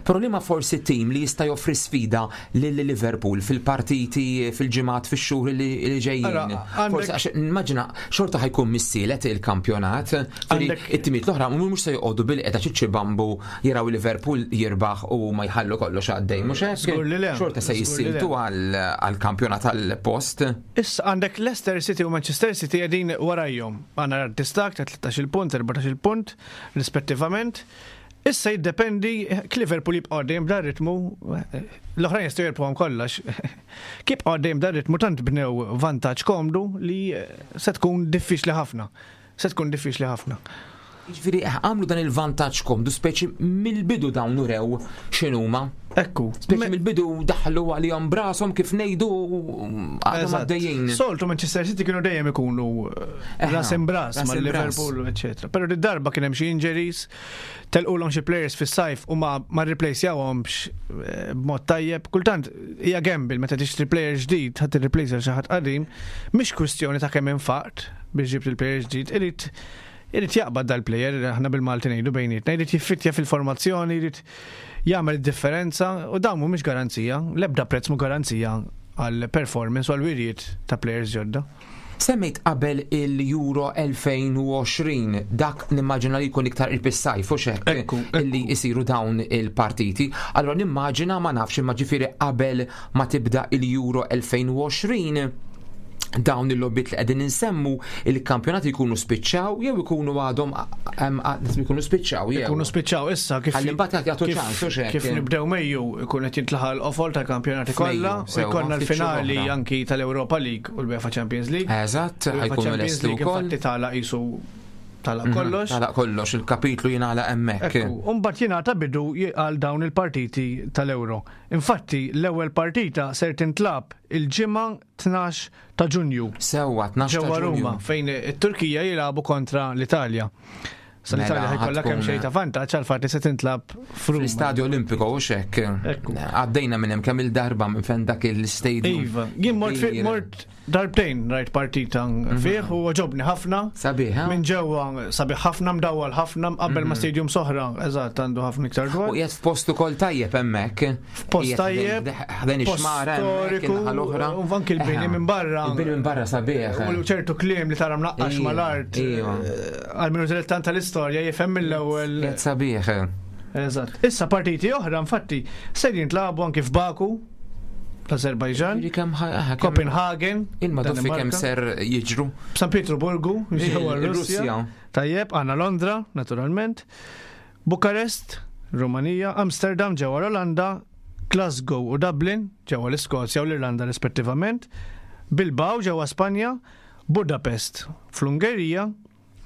Però li ma forsi tim li jista' joffri sfida lil Liverpool fil-partiti, fil-ġimgħat, fix-xhur li ġejjin. Forsi għax immaġina xorta ħajkun missielet il-kampjonat. It-timiet l-oħra mhux se joqogħdu bil-qiegħda ċiċċibambu jaraw Liverpool jirbaħ u ma jħallu kollox għaddej, mhux hekk? Xorta se jissiltu għall-kampjonat għall-post.
Issa għandek Leicester City u Manchester City qegħdin warajhom. Għandna distak ta' tlettax-il punt, erbatax-il punt rispettivament. Issa jiddependi Liverpool jibqa' dejjem b'dan ritmu, l-oħrajn jistgħu jirbħuhom kollox. Kif jibqa' dejjem b'dan ritmu tant bnew vantaġġ komdu li se tkun diffiċli ħafna. Se tkun diffiċli ħafna.
Jiġifieri għamlu dan il-vantaġġ komdu speċi mill-bidu dawn urew x'inhuma.
Ekku.
Speċi mill-bidu daħlu għalihom brashom kif ngħidu għadhom għaddejjin.
Soltu Manchester City kienu dejjem ikunu ras imbras ma' Liverpool, eċetera. Però di darba kien hemm xi injuries, telqulhom xi players fis-sajf u ma ma rreplacjawhomx b'mod tajjeb. Kultant hija gamble meta tixtri player ġdid ħadd irreplace xi ħadd qadim, mhix kwistjoni ta' kemm infaqt biex ġibt il-player ġdid, irid irid jaqbad dal-player, aħna bil-Malti ngħidu bejnietna, irid jiffittja fil-formazzjoni, irid jagħmel id-differenza u dawn mhumiex garanzija, l-ebda prezz mhu garanzija għal performance u għal wirjiet ta' players ġodda.
Semmejt qabel il-Euro elfejn u għoxrin, dak nimmaġina li jkun iktar il-pissajf u xek illi jisiru dawn il-partiti. Allora nimmaġina ma nafx imma ġifieri qabel ma tibda il-Euro elfejn u għoxrin dawn il-lobbiet li qegħdin insemmu il-kampjonati jkunu spiċċaw jew ikunu għadhom ikunu spiċċaw jew.
Ikunu spiċċaw issa kif
Ħalli mbagħad jagħtu ċans u xek.
Kif nibdew Mejju ikun qed jintlaħaq l-qofol tal-kampjonati kollha u jkollna l-finali anki tal-Europa League u l-UEFA Champions League.
Eżatt, ħajkunu lesti wkoll.
Infatti tagħlaq qisu tagħlaq kollox.
Tagħlaq kollox, il-kapitlu jingħalaq hemmhekk.
U mbagħad jingħata bidu għal dawn il-partiti tal-Euro. Infatti l-ewwel partita ser tintlab il-ġimgħa tnax ta' Ġunju.
Sewwa, tnax ta'
Ġewwa
Ġunju.
Ruma, fejn it-Turkija jilagħbu kontra l-Italja. Sa l-Italja ħajkollha kemm xejn ta' vantaġġ għal fatt li se tintlab f'Ruma.
Fl-Istadio Olimpico u xek. Għaddejna minn hemm kemm il-darba minn fejn dak il-stadium.
Iva, jien mort fi-, mort darbtejn rajt partita fih u għoġobni ħafna.
Sabiħ, ha?
Minn ġewwa sabiħ ħafna, mdawwal ħafna, qabel ma stadium soħra, eżatt, għandu ħafna iktar dwar.
U qiegħed f'post ukoll tajjeb hemmhekk.
F'post tajjeb,
ħdejn
post
ix-xmara hemmhekk,
storiku,
in-naħa l-oħra.
u anki l-bini minn barra.
Il-bini minn barra sabiħ.
U ċertu kliem li tara mnaqqax
Iva,
mal-art.
iva.
Għal minu dilettant tal-istorja jifhem mill-ewwel.
Qiegħed sabiħ.
Eżatt. Issa partiti oħra infatti se jintlagħbu anki f'Baku. l-Azerbajġan, Copenhagen,
il-maduffi kemm ser jiġru.
San Pietroburgu, ġewwa Russja. Tajjeb, għandna Londra, naturalment, Bukarest, Rumanija, Amsterdam ġewwa l-Olanda, Glasgow u Dublin ġewwa l-Iskozja u l-Irlanda rispettivament, Bilbao ġewwa Spanja, Budapest fl-Ungerija,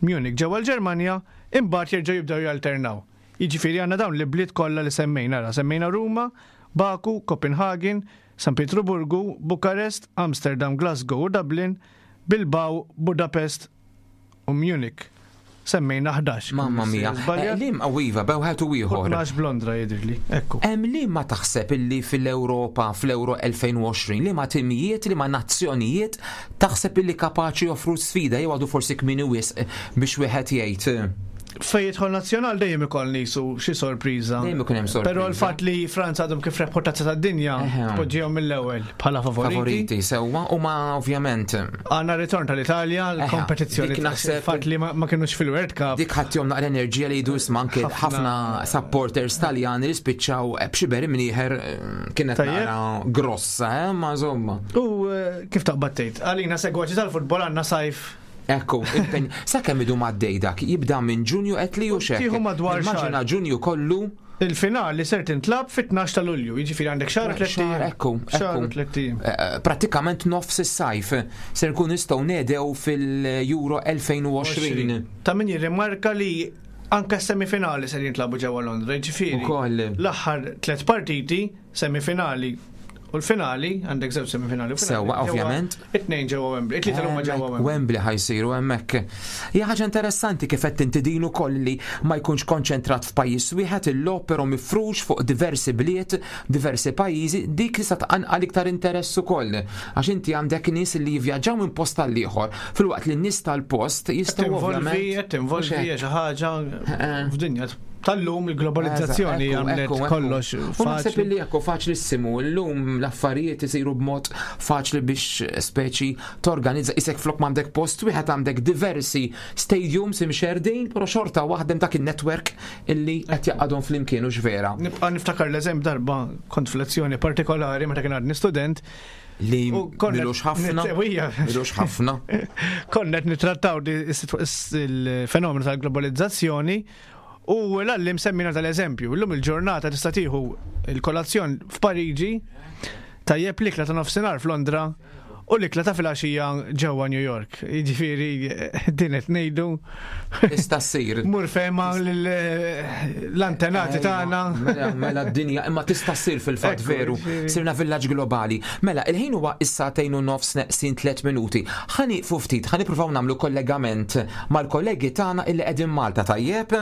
Munich ġewwa l-Ġermanja, imbagħad jerġgħu jibdew jalternaw. Jiġifieri għandna dawn l-ibliet kollha li semmejna, ra semmejna Ruma, Baku, Copenhagen, San Pietroburgu, Bukarest, Amsterdam, Glasgow u Dublin, Bilbao, Budapest u Munich. Semmejna ħdax.
Mamma mia. Lim għawiva, bewħat u ieħor.
tnax b'Londra jidhirli. Ekku.
Hemm li ma taħseb illi fil-Ewropa fl-Euro elfejn u għoxrin li ma timijiet, li ma nazzjonijiet taħseb illi kapaċi joffru sfida jew għadu forsi kmieni wisq biex wieħed jgħid.
Fej jidħol nazzjonal dejjem ikoll nisu xi sorpriża.
Dejjem ikun hemm sorpriża.
Però l-fatt li Franza għadhom kif rebħu tazza tad-dinja poġġihom mill-ewwel bħala favoriti.
Favoriti sewwa u ma ovvjament.
Għandna ritorn tal-Italja, l-kompetizzjoni
naħseb
fatt li ma kinux fil-World Cup.
Dik ħaddihom naqra enerġija li jdu isma' anke ħafna supporters Taljani li spiċċaw b'xi mnieħer kienet naqra grossa, eh, ma insomma.
U kif taqbad tgħid? Għalina segwaċi tal-futbol għandna sajf.
Ekku, sa kemm idu maddej dak, jibda minn Ġunju qed li u xek. Immaġina Ġunju kollu.
Il-finali ser tintlab fit-tnax ta' Lulju, jiġifieri għandek xahar tliet ijiem.
Ekku,
xahar tliet ijiem.
Prattikament nofs is-sajf ser nkun nistgħu nedew fil-Euro elfejn u għoxrin.
Ta' min jirrimarka li anke s-semifinali ser jintlabu ġewwa Londra, jiġifieri l-aħħar tliet partiti semifinali u l-finali, għandek żewġ semifinali.
Sewwa, ovvjament.
It-tnejn ġewwa Wembley, it-tlieta huma ġewwa Wembley.
Wembley ħajsiru hemmhekk. Hija ħaġa interessanti kif qed inti din ukoll li ma jkunx konċentrat f'pajjiż wieħed il-logħob però mifrux fuq diversi bliet, diversi pajjiżi, dik tista' tqanqal iktar interess ukoll. Għax inti għandek nies li jivvjaġġaw minn post għal ieħor, filwaqt li n-nies tal-post jistgħu ovvjament.
Qed tinvolvi xi ħaġa f'dinja tal-lum il-globalizzazzjoni għamlet kollox
faċli. Naħseb illi ekku faċlissimu, llum l-affarijiet isiru b'mod faċli biex speċi torganizza isek flok m'għandek post wieħed għandek diversi stadiums imxerdin, però xorta waħdem dak in-network illi qed jaqgħadhom flimkien u x'vera.
Nibqa' niftakar l-eżemp darba kont f'lezzjoni partikolari meta kien għadni student
li milux ħafna. Milux ħafna.
Konna qed nittrattaw il-fenomenu tal-globalizzazzjoni. U l-għallim semmina tal-eżempju, l-lum il-ġurnata tista' tieħu il-kolazzjon f'Pariġi, tajjeb l-ikla ta' nofsinhar f'Londra u l-ikla ta' filgħaxija ġewwa New York. Jiġifieri din qed ngħidu.
Tista' ssir.
Mur fehma l-antenati tagħna.
Mela, mela d-dinja, imma tista' ssir fil-fatt veru. Sirna villaġġ globali. Mela, il-ħin huwa issa tgħin u nofs neqsin tliet minuti. Ħa nieqfu ftit, ħa nippruvaw nagħmlu kollegament mal-kollegi tagħna illi qegħdin Malta, tajjeb?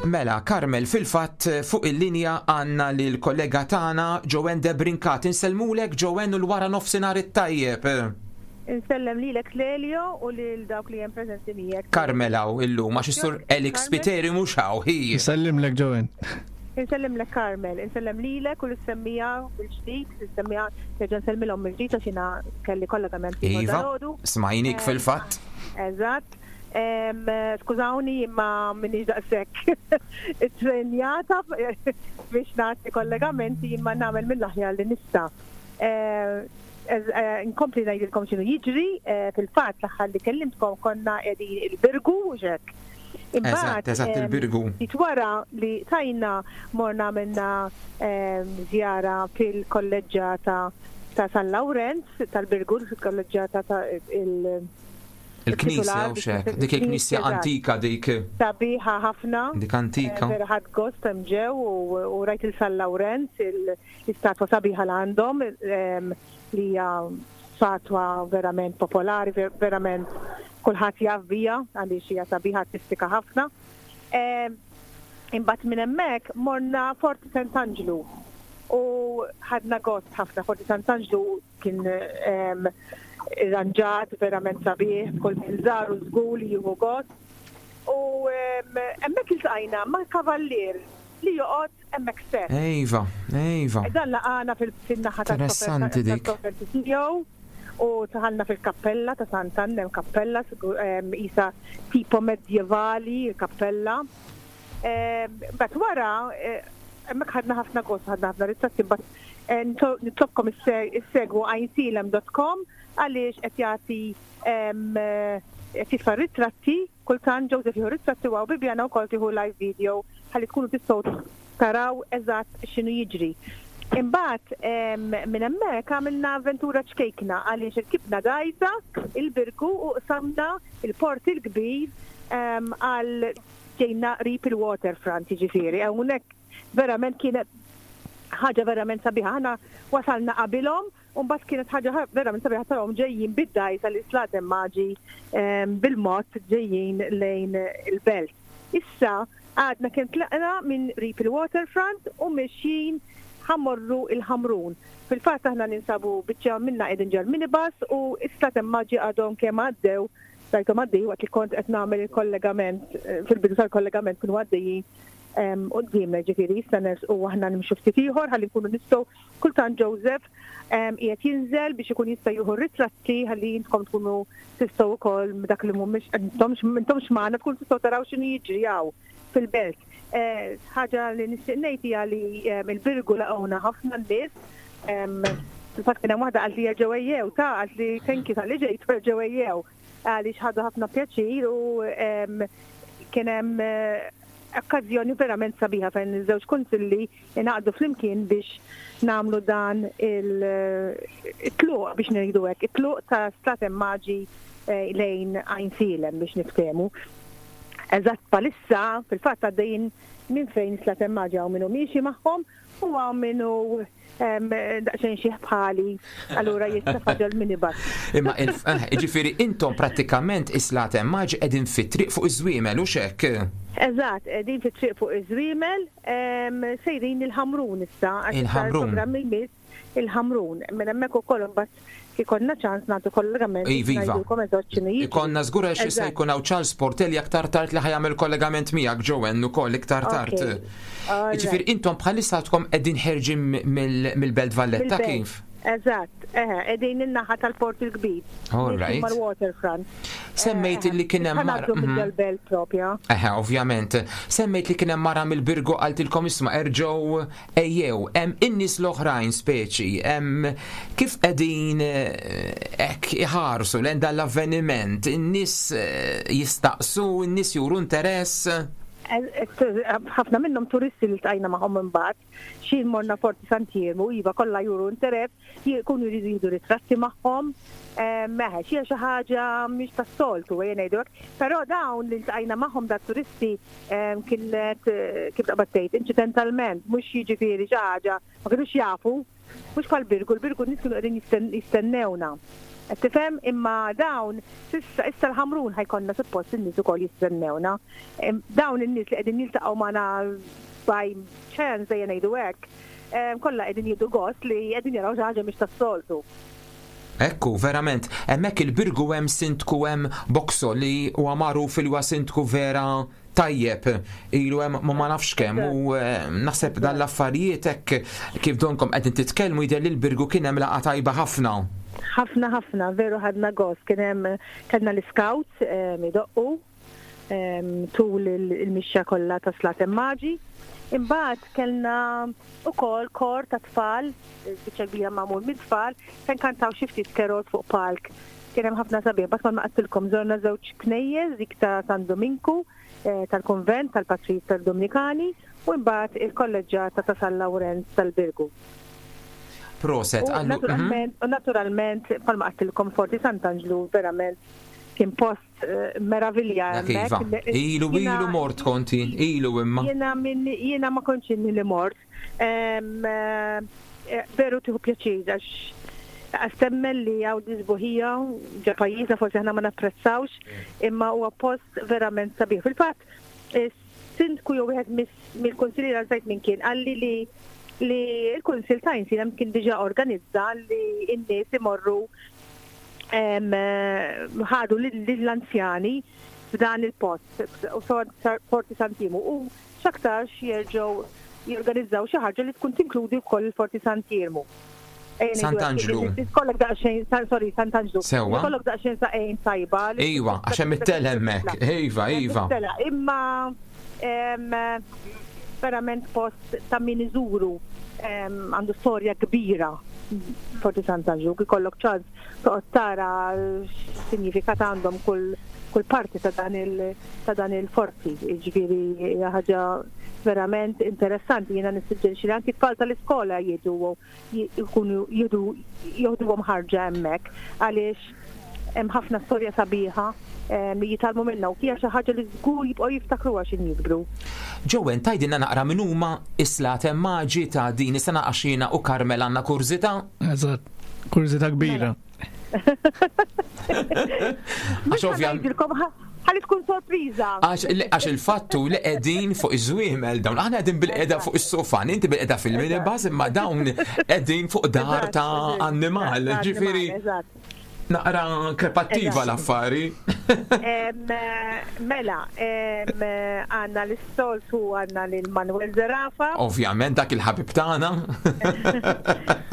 Mela, Carmel, fil-fatt fuq il-linja għandna lil kollega tagħna Joanne Debrincat. Insellmulek Joanne u l-wara nofsinhar it-tajjeb.
Insellem lilek Lelio u lil dawk li hemm preżenti miegħek.
Carmel hawn illum għax is-sur Alex Spiteri mhux hawn hi.
Insellimlek Joanne.
Insellimlek Carmel, insellem lilek u l-semmija bil-ġdid, l-semmija nerġa' nsellmilhom mill-ġdid għax jiena kelli kollegament.
Iva, smajnik fil-fatt.
Eżatt. Skużawni imma minix daqshekk it-trenjata biex nagħti kollegamenti imma nagħmel mill-aħjar li nista'. Nkompli ngħidilkom x'inhu jiġri, fil-fatt l-aħħar li kellimtkom konna qegħdin il-Birgu u x'hekk.
Eżatt, eżatt il-Birgu.
Wara li tajna morna minna żjara fil-kolleġġjata ta' San Lawrenz tal-Birgu, fil-kolleġġjata ta' il-
Il-knisja u xek, dik il-knisja antika dik.
Sabiħa ħafna.
Dik antika.
Vera ħadd gost hemm ġew u rajt il-San Lawrenz, l-istatwa sabiħa l għandhom li hija statwa verament popolari, verament kulħadd jaf biha għaliex hija sabiħa artistika ħafna. Imbagħad minn hemmhekk morna Forti Sant'Anġlu u ħadna gost ħafna. Forti Sant'Anġlu kien irranġat verament sabiħ, kull min żaru żgur li jieħu gost. U hemmhekk iltqajna ma' kavallier li joqgħod hemmhekk stess.
Ejva, ejva.
Dan laqana fil-naħa
Interessanti dik.
Tiegħu u dħalna fil-kappella ta' Sant'Anna, hemm kappella isa tipo medjevali, il-kappella. But wara, hemmhekk ħadna ħafna gost, ħadna ħafna ritratti, but nitlobkom issegwu għajnsielem dot com għaliex qed jagħti, qed jitfa' ritratti, kultant Joseph jieħu ritratti u Bibjana wkoll tieħu live video ħalli tkunu tistgħu taraw eżatt x'inhu jiġri. Imbagħad minn hemmhekk għamilna avventura ċkejkna għaliex irkibna dgħajsa il-Birgu u qsamna il-Port il-Kbir għal ġejna qrib il-waterfront jiġifieri. Hawnhekk verament kienet ħaġa verament sabiħa. Aħna wasalna qabilhom u mbagħad kienet ħaġa verament sabiħa tarahom ġejjin bid-dgħajsa l-Slaten Maġi bil-mod ġejjin lejn il-belt. Issa għadna kien tlaqna minn qrib il-waterfront u mexjin ħa mmorru il-Ħamrun. Fil-fatt aħna ninsabu biċċa minna qegħdin ġol-minibus u is-Slaten Maġi għadhom kemm għaddew, rajthom għaddej waqt li kont qed nagħmel il-kollegament, fil-bidu tal-kollegament kienu għaddejjin quddiemna, ġifieri issa u aħna nimxu ftit ieħor ħalli nkunu nistgħu, kultant Joseph qiegħed jinżel biex ikun jista' jieħu ritratti ħalli intkom tkunu tistgħu wkoll dak li mhumiex intomx magħna tkunu tistgħu taraw x'inhu jiġri hawn fil-belt. Ħaġa li nixtieq ngħid hija li il-Birgu laqgħuna ħafna n-nies. Fil-fatt kien hemm waħda qalt li jerġgħu ejjew ta' qalt li thank you talli ġejtu, erġgħu ejjew, għaliex ħadu ħafna pjaċir u kien hemm okkażjoni verament sabiħa fejn iż-żewġ kunsilli ingħaqdu flimkien biex nagħmlu dan il-tluq, biex ngħidu hekk, it-tluq ta' Slaten Maġi lejn Għajnsielem biex niftehmu. Eżatt bħalissa, fil-fatt għaddejjin minn fejn Slaten Maġi, hawn minnu miexi magħhom u hawn minnu daqsxejn xi bħali, allura jista' ġol-minibus.
Imma ġifieri intom prattikament is-Slaten Maġi qegħdin fit-triq fuq iż-żwiemel u xek.
Eżatt, qegħdin fit-triq fuq iż-żwiemel, sejrin il-Ħamrun issa.
Il-Ħamrun.
Il-Ħamrun. Minn hemmhekk ukoll imbagħad ikollna ċans nagħtu kollegament.
Iva. Ikollna żgur għax issa jkun hawn Charles Portelli aktar tard li ħa jagħmel kollegament miegħek, Joanne, ukoll iktar tard. Ġifieri intom bħalissa għadkom qegħdin ħerġin mill-Belt Valletta, kif?
Eżatt, eħe, qegħdin in-naħa tal-Port il-Kbir.
All right.
Mal-waterfront.
Semmejt li kien hemm mara.
Mill-belt propja.
Eħe, ovvjament. Semmejt li kien hemm mara mill-Birgu qaltilkom isma' erġgħu ejjew, hemm in-nies l-oħrajn speċi, hemm kif qegħdin hekk iħarsu lejn dan l-avveniment, in-nies jistaqsu, in-nies juru interess?
Ħafna minnhom turisti li ltqajna magħhom imbagħad, xi morna Forti Sant'Iermu, iva, kollha juru interess, jkunu jridu jieħdu ritratti magħhom. Meħe, xi xi ħaġa mhix tas-soltu ejja ngħidu hekk, però dawn li ltqajna magħhom da turisti kienet, kif taqbad tgħid, inċidentalment, mhux jiġifieri xi ħaġa ma kinux jafu, mhux bħal Birgu, l-Birgu nies kienu qegħdin jistennewna. Tifhem, imma dawn issa issa l-Ħamrun ħa jkollna suppost in-nies ukoll jistennewna. Dawn in-nies li qegħdin jiltaqgħu magħna by chance ejja ngħidu hekk, kollha qegħdin jieħdu gost li qegħdin jaraw xi ħaġa mhix tas-soltu.
Ekku, verament, hemmhekk il-Birgu hemm sindku, hemm Boxo, li huwa magħruf li huwa sindku vera tajjeb, ilu hemm ma ma nafx kemm u naħseb dan l-affarijiet hekk kif donkom qegħdin titkellmu jidher li l-Birgu kien hemm laqgħa tajba ħafna.
Ħafna ħafna, veru ħadna gost, kien hemm kellna l-scouts idoqqu tul il-mixja kollha ta' Slaten Maġi. Imbagħad kellna ukoll kor ta' tfal, biċċa kbira magħmul mit-tfal, fejn kantaw xi ftit carols fuq palk. Kien hemm ħafna sabiħ, bas ma qattilkom żorna żewġ knejjes, dik ta' San Dominku tal-konvent tal-Patrijiet tal-Dominikani u mbagħad il-kolleġġjata ta' San Lawrenz tal-Birgu.
Proset.
U naturalment, u naturalment, bħalma għedtilkom, Forti Sant'Anġlu verament kien post meravilja.
Iva. Ilu ilu mort konti, ilu imma.
Jiena min jiena ma kontx inni li mort. Veru tieħu pjaċir għax għastemmel li hawn sbuħija ġo pajjiżna, forsi aħna ma napprezzawx, imma huwa post verament sabiħ. Fil-fatt, Is-sindku jew wieħed mill-kunsilliera, nsejt minn kien, qalli li li l-Kunsill ta' Għajnsielem kien diġà organizza li n-nies imorru, ħadu lill-anzjani f'dan il-post u Forti Sant'Iermu, u x'aktarx jerġgħu jorganizzaw xi ħaġa li tkun tinkludi wkoll il-Forti Sant'Iermu.
Sant'Anġlu.
Kollok daqsxejn, sorry, Sant'Anġlu.
Sewwa.
Kollok daqsxejn saqajn tajba.
Iva, għax hemm it-tel hemmhekk. Iva, iva.
Imma verament post ta' min iżuru, għandu storja kbira Forti Sant'Anġlu, ikollok ċans toqgħod tara x'sinjifikat għandhom kull kull parti ta' dan il ta' dan il-forti. Ġifieri ħaġa verament interessanti. Jiena nissuġġerixxi li anki tfal tal-iskola jiġu, jkunu jidu joħduhom ħarġa hemmhekk, għaliex hemm ħafna storja sabiħa li jitgħallmu minnha u hija xi ħaġa li żgur jibqgħu jiftakruha x'ħin jikbru.
Joanne, tgħidilna naqra min huma is-Slaten Maġi ta' din is-sena, għax jiena u Carmel għandna kurżità?
Eżatt, kurżità kbira.
Għax ovvjament
ħalli tkun sorpriża.
Għax il-fattu li qegħdin fuq iż-żwiemel dawn, aħna qegħdin bil-qeda fuq is-sofan, inti bil-qeda fil-minibus, imma dawn qegħdin fuq dar ta' annimal, ġifieri naqra krepattiva l-affari.
Mela, għandna l-istoltu, għandna l-Manuel Zerafa.
Ovvjament, dak il-ħabib tagħna.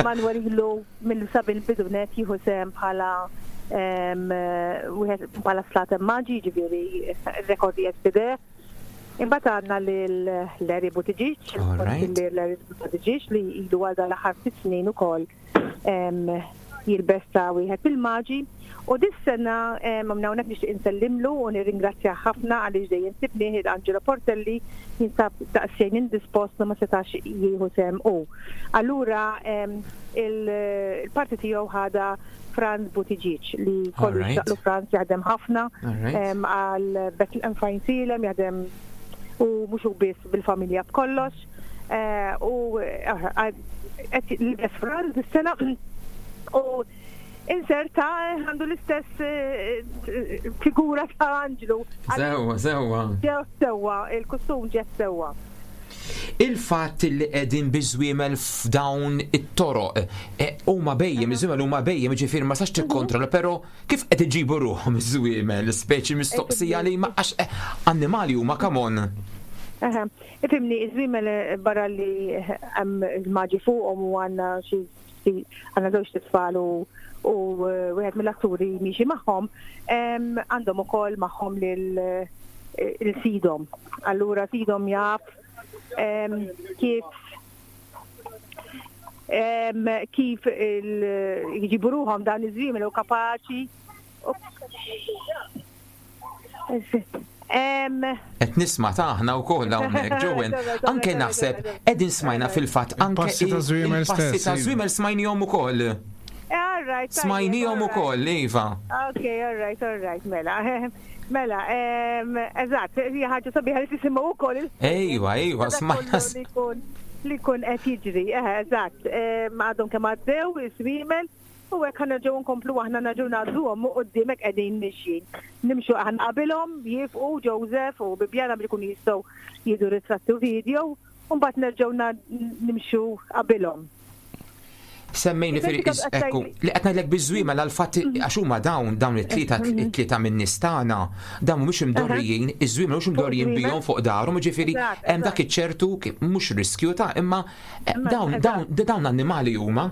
Manuel ilu mill-sabil bidunet jieħu sehem bħala wieħed bħala Slaten Maġi, ġifieri rekordi S P D. Imbagħad għandna lil Larry Buttigieg, Larry Buttigieg li ilu għal dal-aħħar ftit snin ukoll jilbes ta' wieħed il-maġi. U dis-sena hawnhekk nixtieq insellimlu u nirringrazzja ħafna għaliex dejjem sibnieh, Angelo Portelli jinsab daqsxejn indispost, ma setax jieħu sehem u. Allura il-parti tiegħu ħada Franz Buttigieg, li kollu xaqlu Franz jaħdem ħafna għal Bethlehem f'Għajnsielem, jaħdem u mhux biss, bil-familja, b'kollox. U qed libes Franz is-sena u inserta għandu l-istess figura ta' Anġlu.
Sewwa, sewwa.
Ġew sewwa, il-kostum ġew sewwa.
Il-fatt li qegħdin biż-żwiemel f'dawn it-toroq, huma bhejjem, iż-żwiemel huma bhejjem, ġifieri ma sax tikkontrolla, però kif qed iġibu ruħhom iż-żwiemel, speċi mistoqsija li ma għax annimali huma, come on.
Ifhimni, iż-żwiemel, barra li hemm il-maġi fuqhom u għandna xi għandna żewġ tfal u u wieħed mill-atturi miexi magħhom, għandhom ukoll magħhom lil sidhom. Allura sidhom jaf kif kif jġibu ruħhom dan iż-żwiemel u kapaċi.
Qed nisma' taħna wkoll hawnhekk, Joanne. Anke naħseb qegħdin smajna fil-fatt anke
passi ta' żwiemel
il-passi
stess,
ta'
iva.
żwiemel smajnihom ukoll.
All right.
Smajnihom ukoll, iva.
Ok, all right, all right, mela. Mela, eżatt, hija ħaġa sabiħa li tisimgħu wkoll.
Ejwa, ejwa, smajna.
Li jkun li jkun qed jiġri, eh, eżatt. Għadhom kemm għaddew iż-żwiemel u hekk ħa nerġgħu nkomplu aħna, nerġgħu ngħadduhom u quddiemek qegħdin mixjin. Nimxu aħna qabilhom, jifqu Joseph u Bibjana biex ikunu jistgħu jieħdu ritratti u video, u mbagħad nerġgħu nimxu qabilhom.
Semmejni fil ekku, li qed ngħidlek biż-żwiemel għal-fatt għax huma dawn dawn it-tlieta it-tlieta minn nies tagħna, dawn mhumiex imdorrijin, iż-żwiemel mhux imdorrijin bihom fuq darhom, ġifieri hemm dak iċ-ċertu mhux riskju ta' imma dawn dawn dawn annimali huma.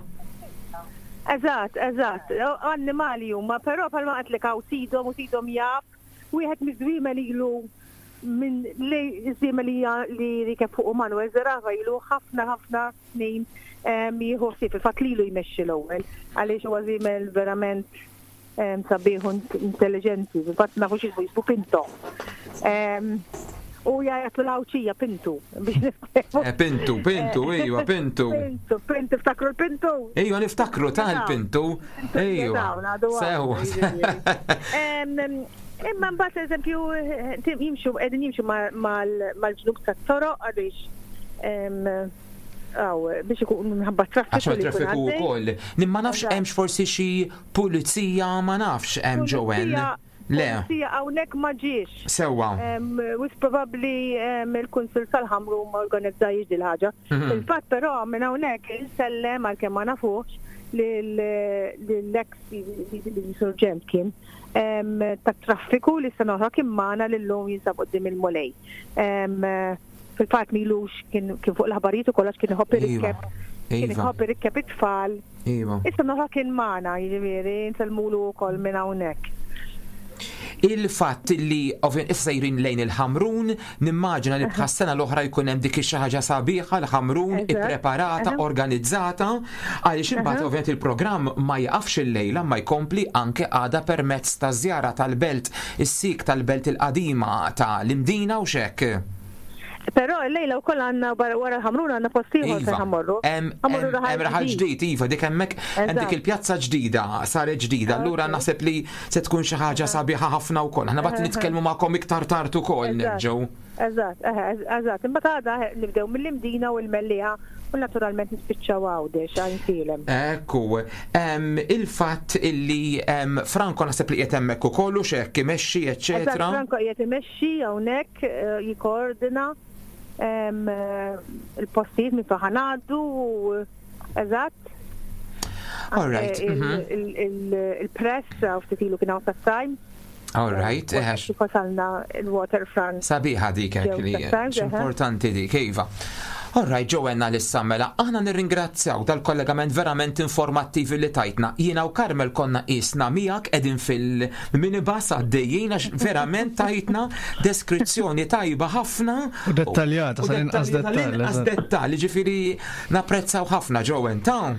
Eżatt, eżatt, annimali huma, però bħalma għedtlek hawn sidhom u sidhom jaf, wieħed miż-żwiemel ilu minn li żwiemel li rikeb fuq Manuel Zerafa ilu ħafna ħafna snin jieħu ħsieb, il-fatt lilu jmexxi l-ewwel, għaliex huwa żwiemel verament sabiħ u intelligenti, fil-fatt nafu x'ismu, jismu Pinto. U jgħajjatlu l-Għawdxija Pintu.
Eh, Pintu, Pintu, ejwa, Pintu.
Pintu, Pintu, ftakru l-Pintu.
Ejwa, niftakru ta' l-Pintu. Ejwa. Sewwa.
Imma mbagħad, eżempju, jimxu qegħdin jimxu mal-ġnub tat-toroq għaliex għaw biex ikun minħabba traffiku.
Għax traffiku wkoll. Ma nafx hemmx forsi xi pulizija, ma nafx hemm, Joanne. Le.
Pulizija hawnhekk ma ġiex.
Sewwa.
Wisq probabbli il-Kunsill tal-Ħamrun ma organizzajx dil ħaġa.
Mhm.
Fil-fatt però minn hawnhekk insellem, għalkemm ma nafux, lill-ex surġent kien tat-traffiku li sena oħra kien magħna, li llum jinsab quddiem il-Mulej. Fil-fatt m'ilux kien fuq l-aħbarijiet u kollox, kien iħobb
Iva.
irikkeb kien
Iva.
iħobb irikkeb it-tfal.
Iva.
Issa oħra kien magħna, jiġifieri nsellmulu wkoll minn hawnhekk.
Il-fatt li ovvjament issa sejrin lejn il-Ħamrun, nimmaġina li bħas-sena l-oħra jkun hemm dik xi ħaġa sabiħa l-Ħamrun
Eżatt.
ippreparata,
Aha.
organizzata, għaliex imbagħad ovvjament il-programm ma jaqafx il-lejla, ma jkompli anke għada permezz ta' żjara tal-belt, is-sik tal-belt il-qadima ta' l-Imdina u xek.
Però l-lejla wkoll għandna barra- wara l-Ħamrun għandna post ieħor fejn
Iva,
ħa mmorru.
hemm
Ħa mmorru
hemm- hemm raħal ġdid, iva, dik hemmhekk hemm dik
Eżatt.
il-pjazza ġdida, saret ġdida, allura
Ok.
naħseb li se tkun xi ħaġa sabiħa ħafna wkoll. Aħna mbagħad nitkellmu magħkom iktar tard ukoll
Eżatt.
nerġgħu.
Eżatt, eħe, eżatt. Imbagħad għada eh, nibdew mill-Imdina u l-Mellieħa u naturalment nispiċċaw Għawdex Għajnsielem.
Ekku, em, il-fatt illi em, Franco naħseb li qiegħed hemmhekk ukoll u x'hekk imexxi,
Eżatt,
eċċetera.
Franco qiegħed imexxi hawnhekk, eh, jikkoordina em, eh, il-postijiet minn fejn ħa ngħaddu u eżatt.
All right,
Anke il-
mhm.
il- il- Il-press u ftit ilu kien hawn Time.
All right, eħex.
Kif wasalna il-waterfront.
Sabiħa dik hekk
Ġew
li
Times, eħe.
importanti dik, iva. All right, Joanna, lissa mela, aħna nirringrazzjaw dal-kollegament verament informattiv li tajtna. Jiena u Carmel konna isna miegħek qegħdin fil-minibus għaddejjin għax verament tajtna deskrizzjoni tajba ħafna.
U dettaljata,
U
sal-inqas
dettaljata,
dettall,
l-inqas
eżatt.
dettall, ġifieri napprezzaw ħafna, Joanne, ta'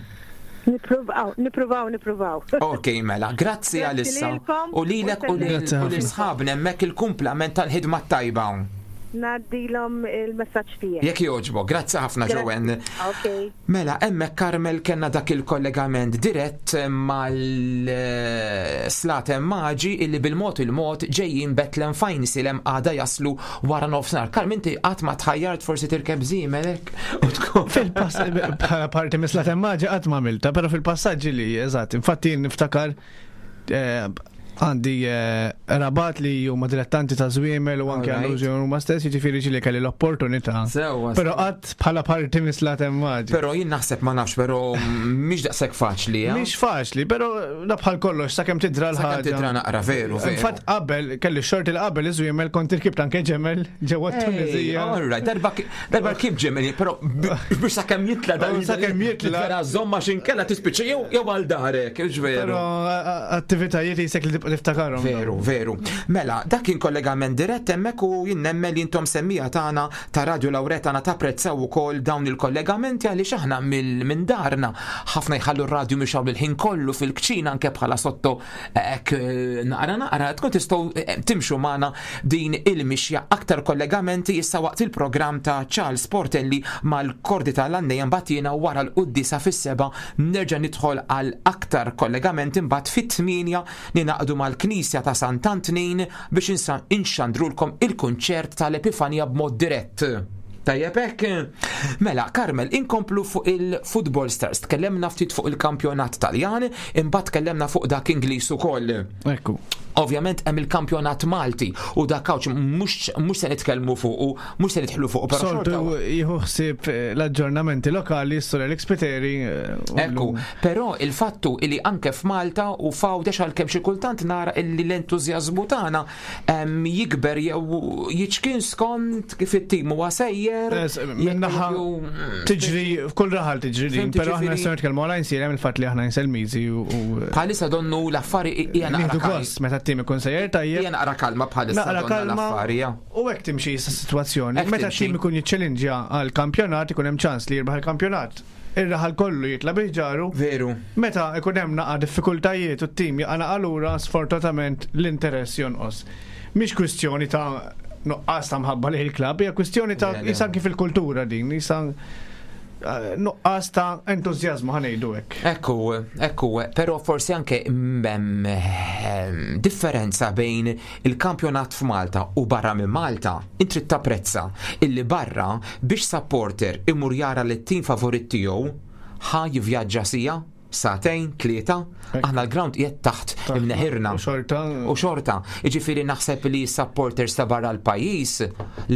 Nipruvaw, nipruvaw, nipruvaw.
Ok, mela, grazzi
Grazzi
għalissa.
lilkom.
U lilek u lil-
Grazzi
u
ħafna.
l-sħabna hemmhekk il-kumplament tal-ħidma tajba.
Ngħaddilhom il-messaġġ tiegħek.
Jekk jogħġbok, grazzi ħafna, Joanne.
Ok.
Mela, hemmhekk, Carmel, kellna dak il-kollegament dirett mal-Slaten Maġi illi bil-mod il-mod ġejjin Betlem f'Għajnsielem, għada jaslu wara nofsinhar. Carmel, inti qatt ma tħajjart forsi tirkeb żiemel hekk u tkun
Fil-pass, bħala parti mis-Slaten Maġi qatt ma għamilta, pero fil-passaġġi li, eżatt, infatti jien niftakar eh, għandi eh, qrabat li huma dilettanti ta' żwiemel u anke
Alright.
għandu żwiemel huma stess, jiġifieri ġieli kelli l-opportunità.
Sewwa,
Pero
sewwa.
qatt bħala parti mis-Slaten Maġi.
Pero jien naħseb, ma nafx, pero mhix daqshekk faċli, eh?
Mhix faċli, pero da bħal kollox, sakemm tidra
Sakemm
l-ħaġa.
tidra naqra, veru, veru.
Infatti qabel kelli xorti li qabel iż-żwiemel kont irkibt anke ġemel ġewwa Tunizija.
All right, darba darba kif ġemel, pero biex sakemm jitla dan.
Oh, sakemm jitla.
Vera żomma x'inkella tispiċċa jew jew għal darek, hux veru.
Pero attivitajiet jisek li tibqa' tiftakarhom.
Veru, veru. Mela, dak kien kollegament dirett hemmhekk u jien nemmen li intom semmiegħa tagħna ta' Radio Lauretana tapprezzaw ukoll dawn il-kollegamenti għaliex aħna mill- minn darna ħafna jħallu r-radju mixgħul il-ħin kollu fil-kċina anke bħala sotto hekk eh, naqra naqra tkun tistgħu eh, timxu magħna din il-mixja. Aktar kollegamenti issa waqt il-programm ta' Charles Portelli mal-kordi tal-għannejja, mbagħad jiena wara l-quddisa fis-seba nerġa' nidħol għal aktar kollegamenti, mbagħad fit-tmienja ningħaqdu mal-Knisja ta' Sant'Antnin biex insa- inxandrulkom il-kunċert tal-Epifanja b'mod dirett. Tajjeb hekk. Mela, Carmel, inkomplu fuq il-Football Stars. Tkellemna ftit fuq il-kampjonat Taljan, imbagħad tkellemna fuq dak Ingliż ukoll.
Ekku.
Ovvjament hemm il-kampjonat Malti u dak kawċ mhux mhux se nitkellmu fuq u mhux se nidħlu fuq, però
Soltu
xorta
jieħu ħsieb eh, l-aġġornamenti lokali, s-sur Alex Spiteri. eh, u
Ekku,
l-
però il-fattu illi anke f'Malta u f'Għawdex, għalkemm xi kultant nara illi l-entużjażmu tagħna em, jikber jew jiċkien skont kif it-tim huwa sejjer.
Es, Minnaħa
jekk-
tiġri, f'kull raħal tiġri din,
Fhimt,
pero aħna
ġifieri-
nistgħu nitkellmu għal Għajnsielem, il-fatt li aħna Għajnselmiżi u u-
Bħalissa donnu l-affari hija naqra
nieħdu
kalma.
gost meta t-tim ikun sejjer tajjeb.
Hija naqra kalma bħalissa
Naqra
donna
kalma
l-affari. ja.
u hekk timxi issa s-sitwazzjoni.
Hekk
Meta
timxi.
t-tim ikun jiċċellinġja għal kampjonat, ikun hemm ċans li jirbaħ il-kampjonat. Ir-raħal kollu jitla bi ħġaru.
Veru.
Meta ikun hemm naqa' diffikultajiet u t-tim jaqa' naqa' lura, sfortunatament l-interess jonqos. Mhix kwistjoni ta' nuqqas ta' mħabba lejn il-klabb, hija kwistjoni ta'
Le, le.
jisa anki fil-kultura din, jisa eh, nuqqas ta' entużjażmu, ħa ngħidu hekk.
Ekku, ekku, pero forsi anke hemm ehm, differenza bejn il-kampjonat f'Malta u barra minn Malta. Intri tapprezza illi barra biex supporter imur jara li t-tim favorit tiegħu ħa jivvjaġġa sija, Sagħtejn, tlieta, aħna l-ground qiegħed taħt imneħirna.
U xorta.
U xorta. Jiġifieri naħseb li supporters ta' barra l-pajjiż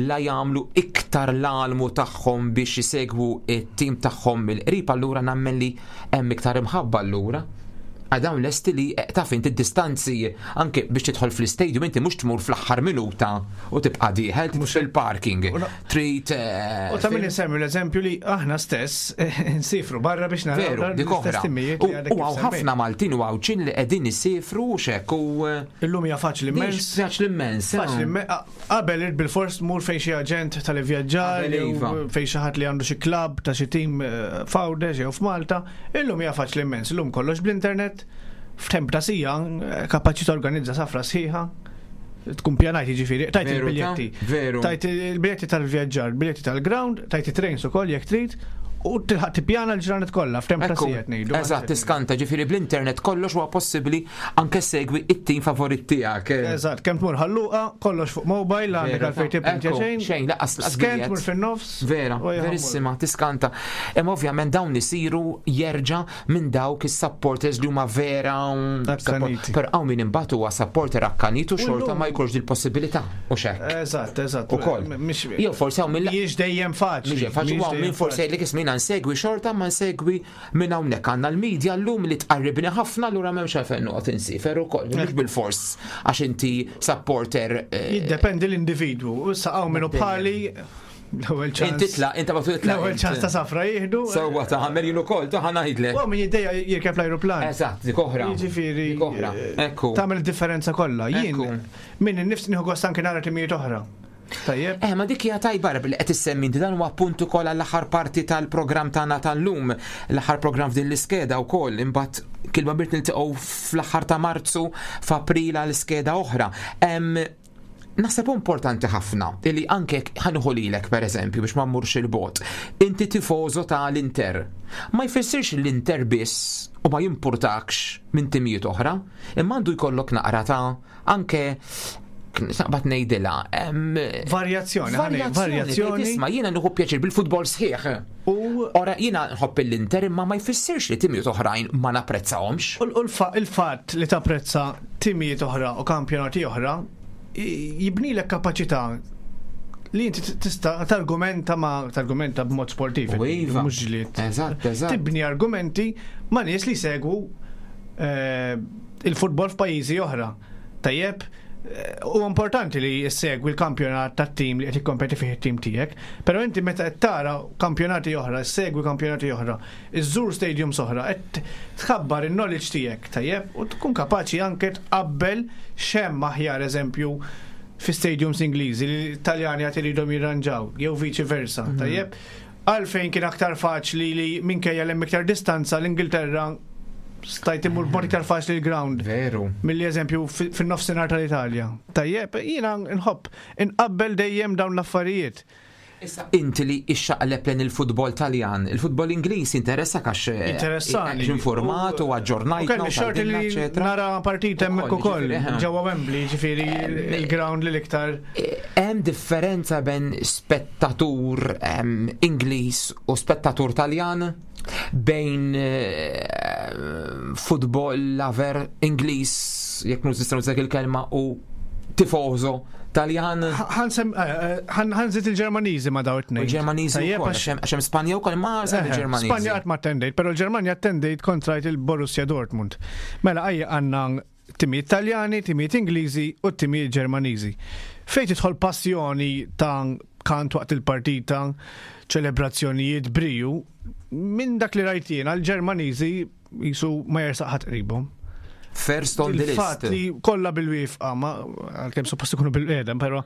la jagħmlu iktar l-almu tagħhom biex jisegwu it-tim tagħhom mill-qrib, allura nemmen li hemm iktar imħabba allura. Għax dawn lesti li eh, taf inti distanzi anke biex tidħol fl-istadium, inti mhux tmur fl-aħħar minuta u tibqa' dieħel fil-parking. Trid eh,
U ta' min insemmi l-eżempju li aħna stess nsifru barra biex naraw
Veru,
dawn
dik oħra.
l-istess timijiet
U
li għadek
u
kif
hawn
semmejt.
ħafna Maltin u Għawdxin li qegħdin isifru u xek u eh,
Illum hija faċli immens.
Faċli immens. eh.
Faċli immens. Qabel irid bil-fors tmur fejn xi aġent tal-ivvjaġġar,
Qabel
jew
iva.
fejn xi ħadd li għandu xi klabb ta' xi tim eh, f'Għawdex jew f'Malta. Illum hija faċli immens. Illum kollox bl-internet. F'temp ta' siegħa eh, kapaċi torganizza safra sħiħa. Tkun pjanajt, jiġifieri, tajt
Veru, ta'
il-biljetti.
Veru.
Tajt il-biljetti tal-vjaġġar, biljetti tal-ground, tajt it-trains ukoll jekk trid, u tilħaq tippjana l-ġranet kollha f'temp ta'
Ekku,
siegħa ngħidu.
eżatt, tiskanta, ġifieri bl-internet kollox huwa possibbli, anke segwi it-tim favorit tiegħek.
Eżatt, kemm tmur Ħal Luqa, kollox fuq mobile, għandek
Veru,
għalfejn tipprintja
ekku,
xejn.
xejn, lanqas lanqas
Scan
biljett.
tmur fin-nofs.
Vera,
u jħammur.
verissima, tiskanta. Imma ovvjament dawn isiru jerġa' minn dawk is-supporters li huma vera. um,
Akkaniti.
Però hawn min imbagħad huwa supporter akkanitu xorta
U llum-
ma jkunx dil-possibilità u xek.
Eżatt, eżatt.
Ukoll.
M- mhix-
Jew forsi hawn min
Mhijiex dejjem faċli.
Mhix faċli,
Mhijiex
hawn min
dejjem
forsi
faċli.
jgħidlek, "Isma', jiena nsegwi xorta, ma nsegwi minn hawnhekk, għandna l-medja llum li tqarribni ħafna, allura m'hemmx għalfejn noqgħod insifer ukoll." Mhux bil-fors għax inti supporter. eh,
Jiddependi l-individwu. Issa hawn minnu bħali l-ewwel ċans.
Inti titla', inti ma titla'.
L-ewwel ċans ta' safra jieħdu.
Sewwa ta' għamel jien ukoll, ta' ħa ngħidlek.
U min jiddejja jirkeb l-ajruplan.
Eżatt, dik oħra.
Jiġifieri.
Dik oħra.
eh,
Ekku.
Tagħmel differenza kollha. Jien
Ekku.
min innifs nieħu gost anke nara timijiet oħra. Tajjeb.
Eh, ma dik hija tajba li qed issemmi inti, dan huwa punt ukoll għall-aħħar parti tal-programm tagħna tal-lum, l-aħħar programm f'din l-iskeda wkoll, imbagħad kilma birt niltaqgħu fl-aħħar ta' Marzu, f'April għal iskeda oħra. Em, Naħseb importanti ħafna illi anke ħa nieħu lilek per eżempju biex ma mmurx il-bogħod. Inti tifożo ta' l-Inter. Ma jfissirx l-Inter biss u ma jimpurtakx minn timijiet oħra, imma għandu jkollok naqra ta' anke naqbad ngħidilha. em,
Varjazzjoni, ħani, varjazzjoni.
Isma', jiena nieħu pjaċir bil-futbol sħiħ.
U
Ora, jiena nħobb l-Inter, imma ma jfissirx li timijiet oħrajn ma napprezzahomx.
U l- il-fatt li tapprezza timijiet oħra u kampjonati oħra jibnilek kapaċità li inti tista' targumenta ma targumenta b'mod sportiv,
U iva.
mhux ġlied.
Eżatt, eżatt.
Tibni argumenti ma' nies li segwu eh, il-futbol f'pajjiżi oħra. Tajjeb, eh, u importanti li segwi l-kampjonat tat-tim li qed jikkompeti fih it-tim tiegħek, però inti meta qed tara kampjonati oħra, segwi kampjonati oħra, iżżur stadiums oħra, qed tkabbar il-knowledge tiegħek, tajjeb, u tkun kapaċi anke tqabbel x'hemm aħjar, eżempju, fi stadiums Ingliżi li l-Italjani għad iridhom jirranġaw, jew viċi versa, tajjeb. Għalfejn kien aktar faċli li minkejja l iktar distanza l-Ingilterra stajt imur b'mod iktar faċli l-ground
Veru.
milli eżempju fi- fin-nofsinhar tal-Italja. Tajjeb, jiena nħobb inqabbel dejjem dawn l-affarijiet.
Issa inti li ixxaqleb lejn il-futbol Taljan, il-futbol Ingliż interessak għax eh,
Interessani.
għax informat u aġġornajtna
U kelli
u
xorti
tgħidilna,
li
eċetera.
nara partita hemmhekk
Ukoll,
ukoll,
ġifieri, eh.
ġewwa Wembley, ġifieri il-ground li l-iktar
Eh, Hemm differenza bejn spettatur em, Ingliż u spettatur Taljan, bejn eh, football lover Ingliż, jekk nistgħu nużak il-kelma, u tifożo Taljan?
Ħa nżid il-Ġermaniżi ma' daw it-tnejn.
U l-Ġermaniżi
Tajjeb,
wkoll,
għax-
għax hemm- għax hemm Spanja wkoll, ma żed
Eħe,
il-Ġermaniżi.
Spanja qatt ma attendejt, però l-Ġermanja attendejt kontra il-Borussia Dortmund. Mela għajja għandna timijiet Taljani, timijiet Ingliżi u timijiet Ġermaniżi. Fejn tidħol passjoni ta' kant waqt il-partita, ċelebrazzjonijiet, briju, minn dak li rajt jiena l-Ġermaniżi jisu ma jersaq ħadd qribhom.
First on the list.
Il-fatt li kollha bil-wieqfa, ma għalkemm suppost ikunu bil-qiegħda, però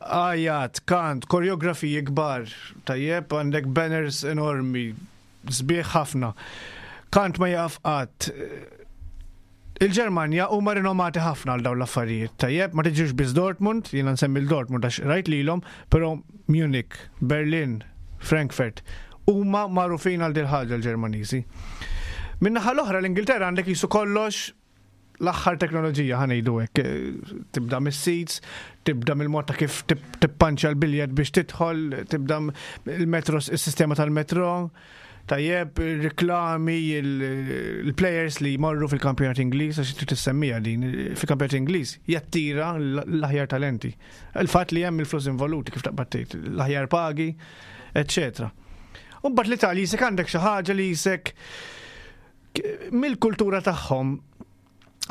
għajat, kant, koreografiji kbar, tajjeb, għandek banners enormi, sbieħ ħafna. Kant ma jaf qatt. Il-Ġermanja huma rinomati ħafna għal dawn l-affarijiet. Tajjeb, ma tiġix biss Dortmund, jiena nsemmi l-Dortmund għax rajt lilhom, però Munich, Berlin, Frankfurt, huma magħrufin għal dil ħaġa l-Ġermaniżi. Min-naħa l-oħra l-Ingilterra għandek jisu kollox l-aħħar teknoloġija, ħa ngħidu hekk. Eh, Tibda mis-seats, tibda mill-mod ta' kif tip- tippanċja l-biljet biex tidħol, tibda il-metro, il-sistema tal-metro, Tajjeb, reklami, il-players li jmorru fil-kampjonat Ingliż, għax trid tissemmija din, fil-kampjonat Ingliż jattira l-aħjar talenti. Il-fatt li hemm il-flus involuti, kif taqbad tgħid, l-aħjar pagi, eccetera. U mbagħad l-Italja jisek għandek xi ħaġa li jisek mill-kultura tagħhom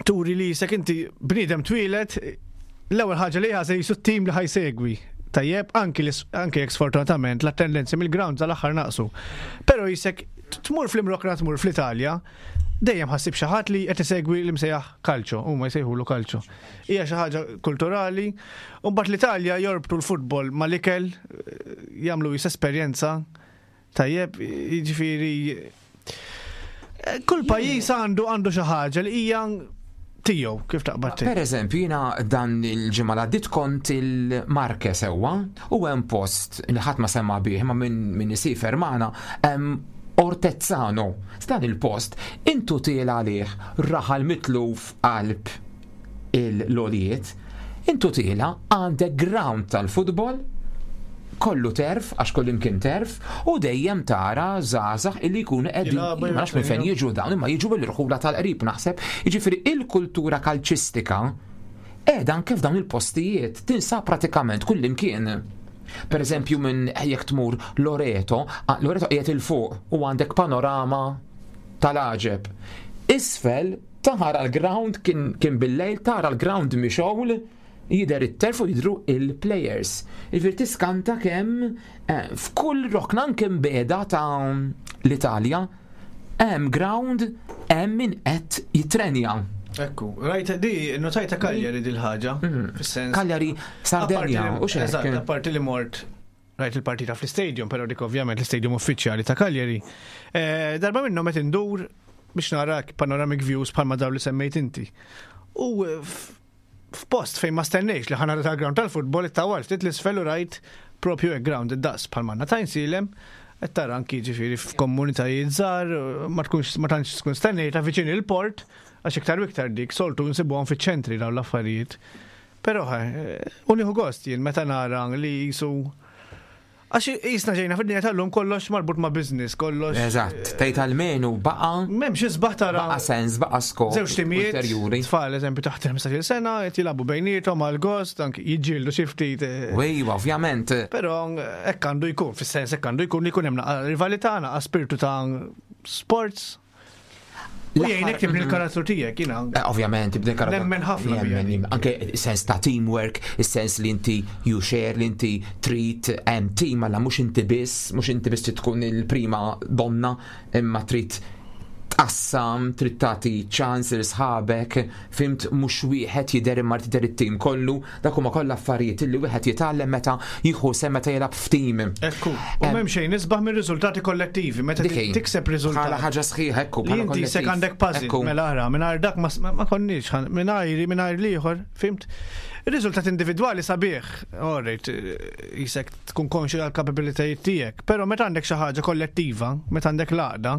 turi li jisek inti bniedem twieled, l-ewwel ħaġa li ħaża jisu t-tim li ħa jsegwi. Tajjeb, anki anki jekk sfortunatament l-attendenzi mill-ground tal-aħħar naqsu. Però jisek tmur fl-Imrokna, tmur fl-Italja, dejjem ħa ssib xi ħadd li qed isegwi li msejjaħ calcio, huma jsejħulu calcio. Hija xi ħaġa kulturali, u mbagħad l-Italja jorbtu l-futbol mal-ikel, jagħmlu jis esperjenza. Tajjeb, jiġifieri kull pajjiż għandu għandu xi ħaġa li hija tiegħu, kif taqbad tgħid.
Per eżempju, jiena dan il-ġimgħa li għaddiet kont il-Marche sewwa u hemm post li ħadd ma semma bih ma minn min isiefer magħna, hemm Ortezzano. Dan il-post intu tiela għalih, raħal mitluf qalb il-lolijiet, intu tiela għandek ground tal-futbol kollu turf, għax kollu imkien turf, u dejjem tara żgħażagħ illi jkunu qegħdin,
Jilagħbu,
ma nafx minn fejn jiġu dawn, imma jiġu bil-irħula tal-qrib naħseb. Jiġifieri il-kultura kalċistika qiegħda anke f'dawn il-postijiet, tinsab pratikament kull imkien. Per eżempju, minn jekk tmur Loreto, ah, Loreto qiegħed il fuq u għandek panorama tal-għaġeb. Isfel tara l-ground, kien, kien bil-lejl, tara l-ground mixgħul, jidher it-turf u jidru il-players. Jiġifieri tiskanta kemm eh, f'kull rokna anke mbeda ta' l-Italja hemm ground, hemm min qed jitrenja.
Ekku, rajt di, notajta Cagliari dil-ħaġa, fis-sens.
Cagliari, Sardenja,
Apparti li-
u xek.
Eżatt, apparti li mort rajt il-partita fl-stadium, pero dik ovvjament l-stadium uffiċjali ta' Cagliari. Eh, Darba minnhom qed indur biex nara panoramic views bħalma daw li semmejt inti. U eh, f- f'post fejn ma stennejx li ħa nara tal-ground tal-futbol, it-tawal ftit l-isfel u rajt propju hekk ground id-daqs bħalma għandna t'Għajnsielem, qed tara anki ġifieri f'komunitajiet żgħar, ma tkunx ma tantx tkun stennejta viċin il-port, għax iktar u iktar dik soltu nsibuhom fiċ-ċentri dawn l-affarijiet. Però eh, u nieħu gost jien meta nara li jisu, għax jisna ġejna fid-dinja tal-lum kollox marbut ma' business, kollox.
Eżatt, tgħid almenu baqa'
M'hemmx isbaħ tara
baqa' sens, baqa' skop
żewġ timijiet,
ulterjuri.
Tfal, eżempju, taħt ħmistax-il sena, qed jilagħbu bejniethom għal gost, anki jiġġieldu xi ftit. eh,
U iva, ovvjament.
Però hekk għandu jkun, fis-sens hekk għandu jkun li jkun hemm naqa rivalità, naqa spiritu ta' sports. U jgħinek tibni l-karattru tiegħek, jiena.
Eh, Ovvjament, tibni karattru.
Nemmen ħafna bija
Nemmen,
din.
anke sens ta' teamwork, il-sens li inti you share, li inti trid hemm team, alla mhux inti biss, mhux inti biss trid tkun il-prima donna, imma trid tqassam, trid tagħti ċans lil sħabek, fhimt, mhux wieħed jidher imma tidher it-tim kollu, dak huma kollha affarijiet illi wieħed jitgħallem meta jieħu sehem, meta jilgħab f'tim.
Ekku, u m'hemm xejn isbaħ minn riżultati kollettivi, meta
Dik hi.
tikseb riżultat.
Bħala ħaġa sħiħa, ekku,
Li
bħala
inti sek
kollettiv.
għandek puzzle,
Ekku.
mela ara, mingħajr dak ma, ma konniex, mingħajri, mingħajr l-ieħor, fhimt? Il-riżultat individwali sabiħ, alright, jisek tkun konxi għal-kapabilitajiet tiegħek, però meta għandek xi ħaġa kollettiva, meta għandek l-għaqda,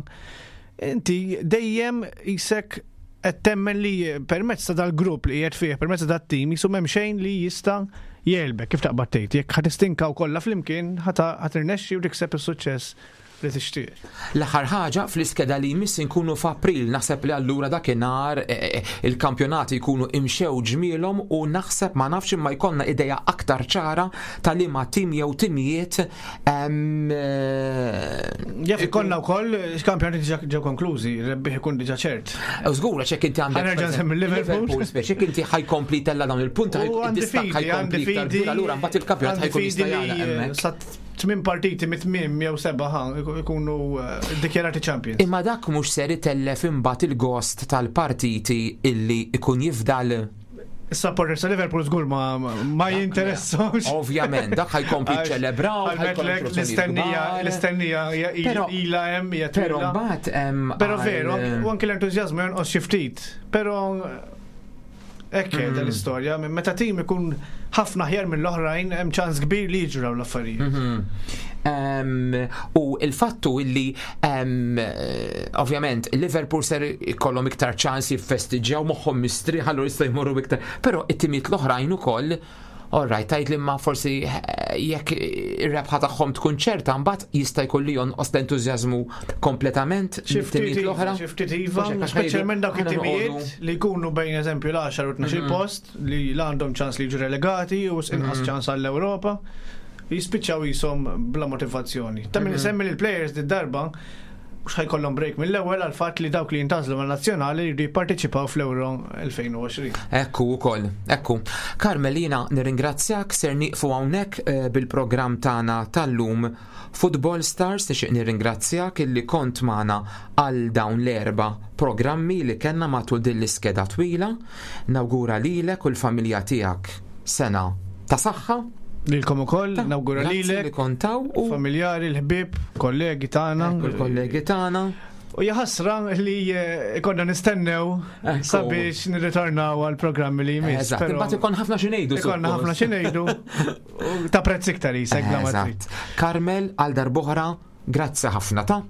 inti dejjem jisek qed temmen li permezz ta' dal-grupp li qiegħed fih, permezz ta' dat-tim, jisu m'hemm xejn li jista' jegħlbek, kif taqbad tgħid, jekk ħa tistinkaw kollha flimkien, ħa tirnexxi u tikseb is-suċċess li tixtieq.
L-aħħar ħaġa, fl-iskeda li jmiss inkunu f'April, naħseb li allura dakinhar eh, eh, il-kampjonati jkunu imxew ġmielhom u naħseb, ma nafx, imma jkollna idea aktar ċara ta' liema tim jew timijiet em, eh,
Jaf ikollna wkoll kampjonati diġà ġew konklużi, rebbieħ ikun diġà ċert.
Żgur, għax hekk inti għandek
Ħa nerġa' nsemmi Liverpool.
Liverpool, speċi jekk inti ħa jkompli tella dawn il-punti,
U għandi
id-distakk
fidi, għandi
ħa jkompli iktar
fidi.
kbir, allura mbagħad il-kampjonat
Għandi
ħa jkun
fidi
jista'
li
jagħlaq hemmhekk.
sa tmien partiti mit-tmiem jew seba' ħa ikunu eh, dikjarati champions.
Imma dak mhux ser itellef imbagħad il-gost tal-partiti illi ikun jifdal?
Is-supporters ta' Liverpool żgur ma ma jinteressawx.
Ovvjament, dak ħa jkompli ċelebraw,
Għal l-istennija l-istennija hija-
Però-
ilha hemm hija
Però
twila.
mbagħad hemm
Però
għal-
veru, u anke l-entużjażmu jonqos xi ftit. Però hekk mm. l-istorja, minn meta tim ikun ħafna aħjar mill-oħrajn hemm ċans kbir li jiġru dawn l-affarijiet.
Mhm. Em, u il-fattu illi em, eh, ovvjament Liverpool ser ikollhom iktar ċans jiffestiġġjaw moħħhom mistrieħ, allura jista' jmorru iktar. Però it-timiet l-oħrajn ukoll All right, tajt li ma forsi eh, jekk ir-rebħa tagħhom tkun ċerta, mbagħad jista' jkun li jonqos l-entużjażmu kompletament
Xi ftit
mit-timijiet l-oħra.
Xi ftit iva,
Mhux hekk, għax
speċjalment dawk
ħa noqogħdu-
it-timijiet li jkunu bejn eżempju l-għaxar u tnax-il post li la għandhom ċans li jiġu relegati u inqas ċans għall-Ewropa, jispiċċaw jisom bla motivazzjoni. Ta' min isemmi li l-players di darba mhux ħa jkollhom break mill-ewwel għal fatt li dawk li jintgħażlu man-nazzjonali jridu jipparteċipaw fl-Euro elfejn u għoxrin.
Ekku ukoll, ekku. Carmelina, nirringrazzjak, ser nieqfu hawnhekk eh, bil-programm tagħna tal-lum Football Stars. Nixtieq nirringrazzjak illi kont magħna għal dawn l-erba' programmi li kellna matul din l-iskeda twila. Nawgura lilek u l-familja tiegħek sena ta' saħħa.
Lilkom ukoll,
Ta'
nawgura
grazzi
lilek,
li kontaw u
familjari, l-ħbieb, kollegi tagħna.
Ekku l-kollegi tagħna.
U jaħasra li eh, konna nistennew
Ekku.
sabiex nirritornaw għal programmi li jmiss.
Eżatt,
però
imbagħad ikun ħafna xi ngħidu.
Ikonna ħafna
suppost.
xi ngħidu u ta' prezz iktar jisek bla ma trid.
Eżatt. Carmel, għal darb'oħra, grazzi ħafna ta'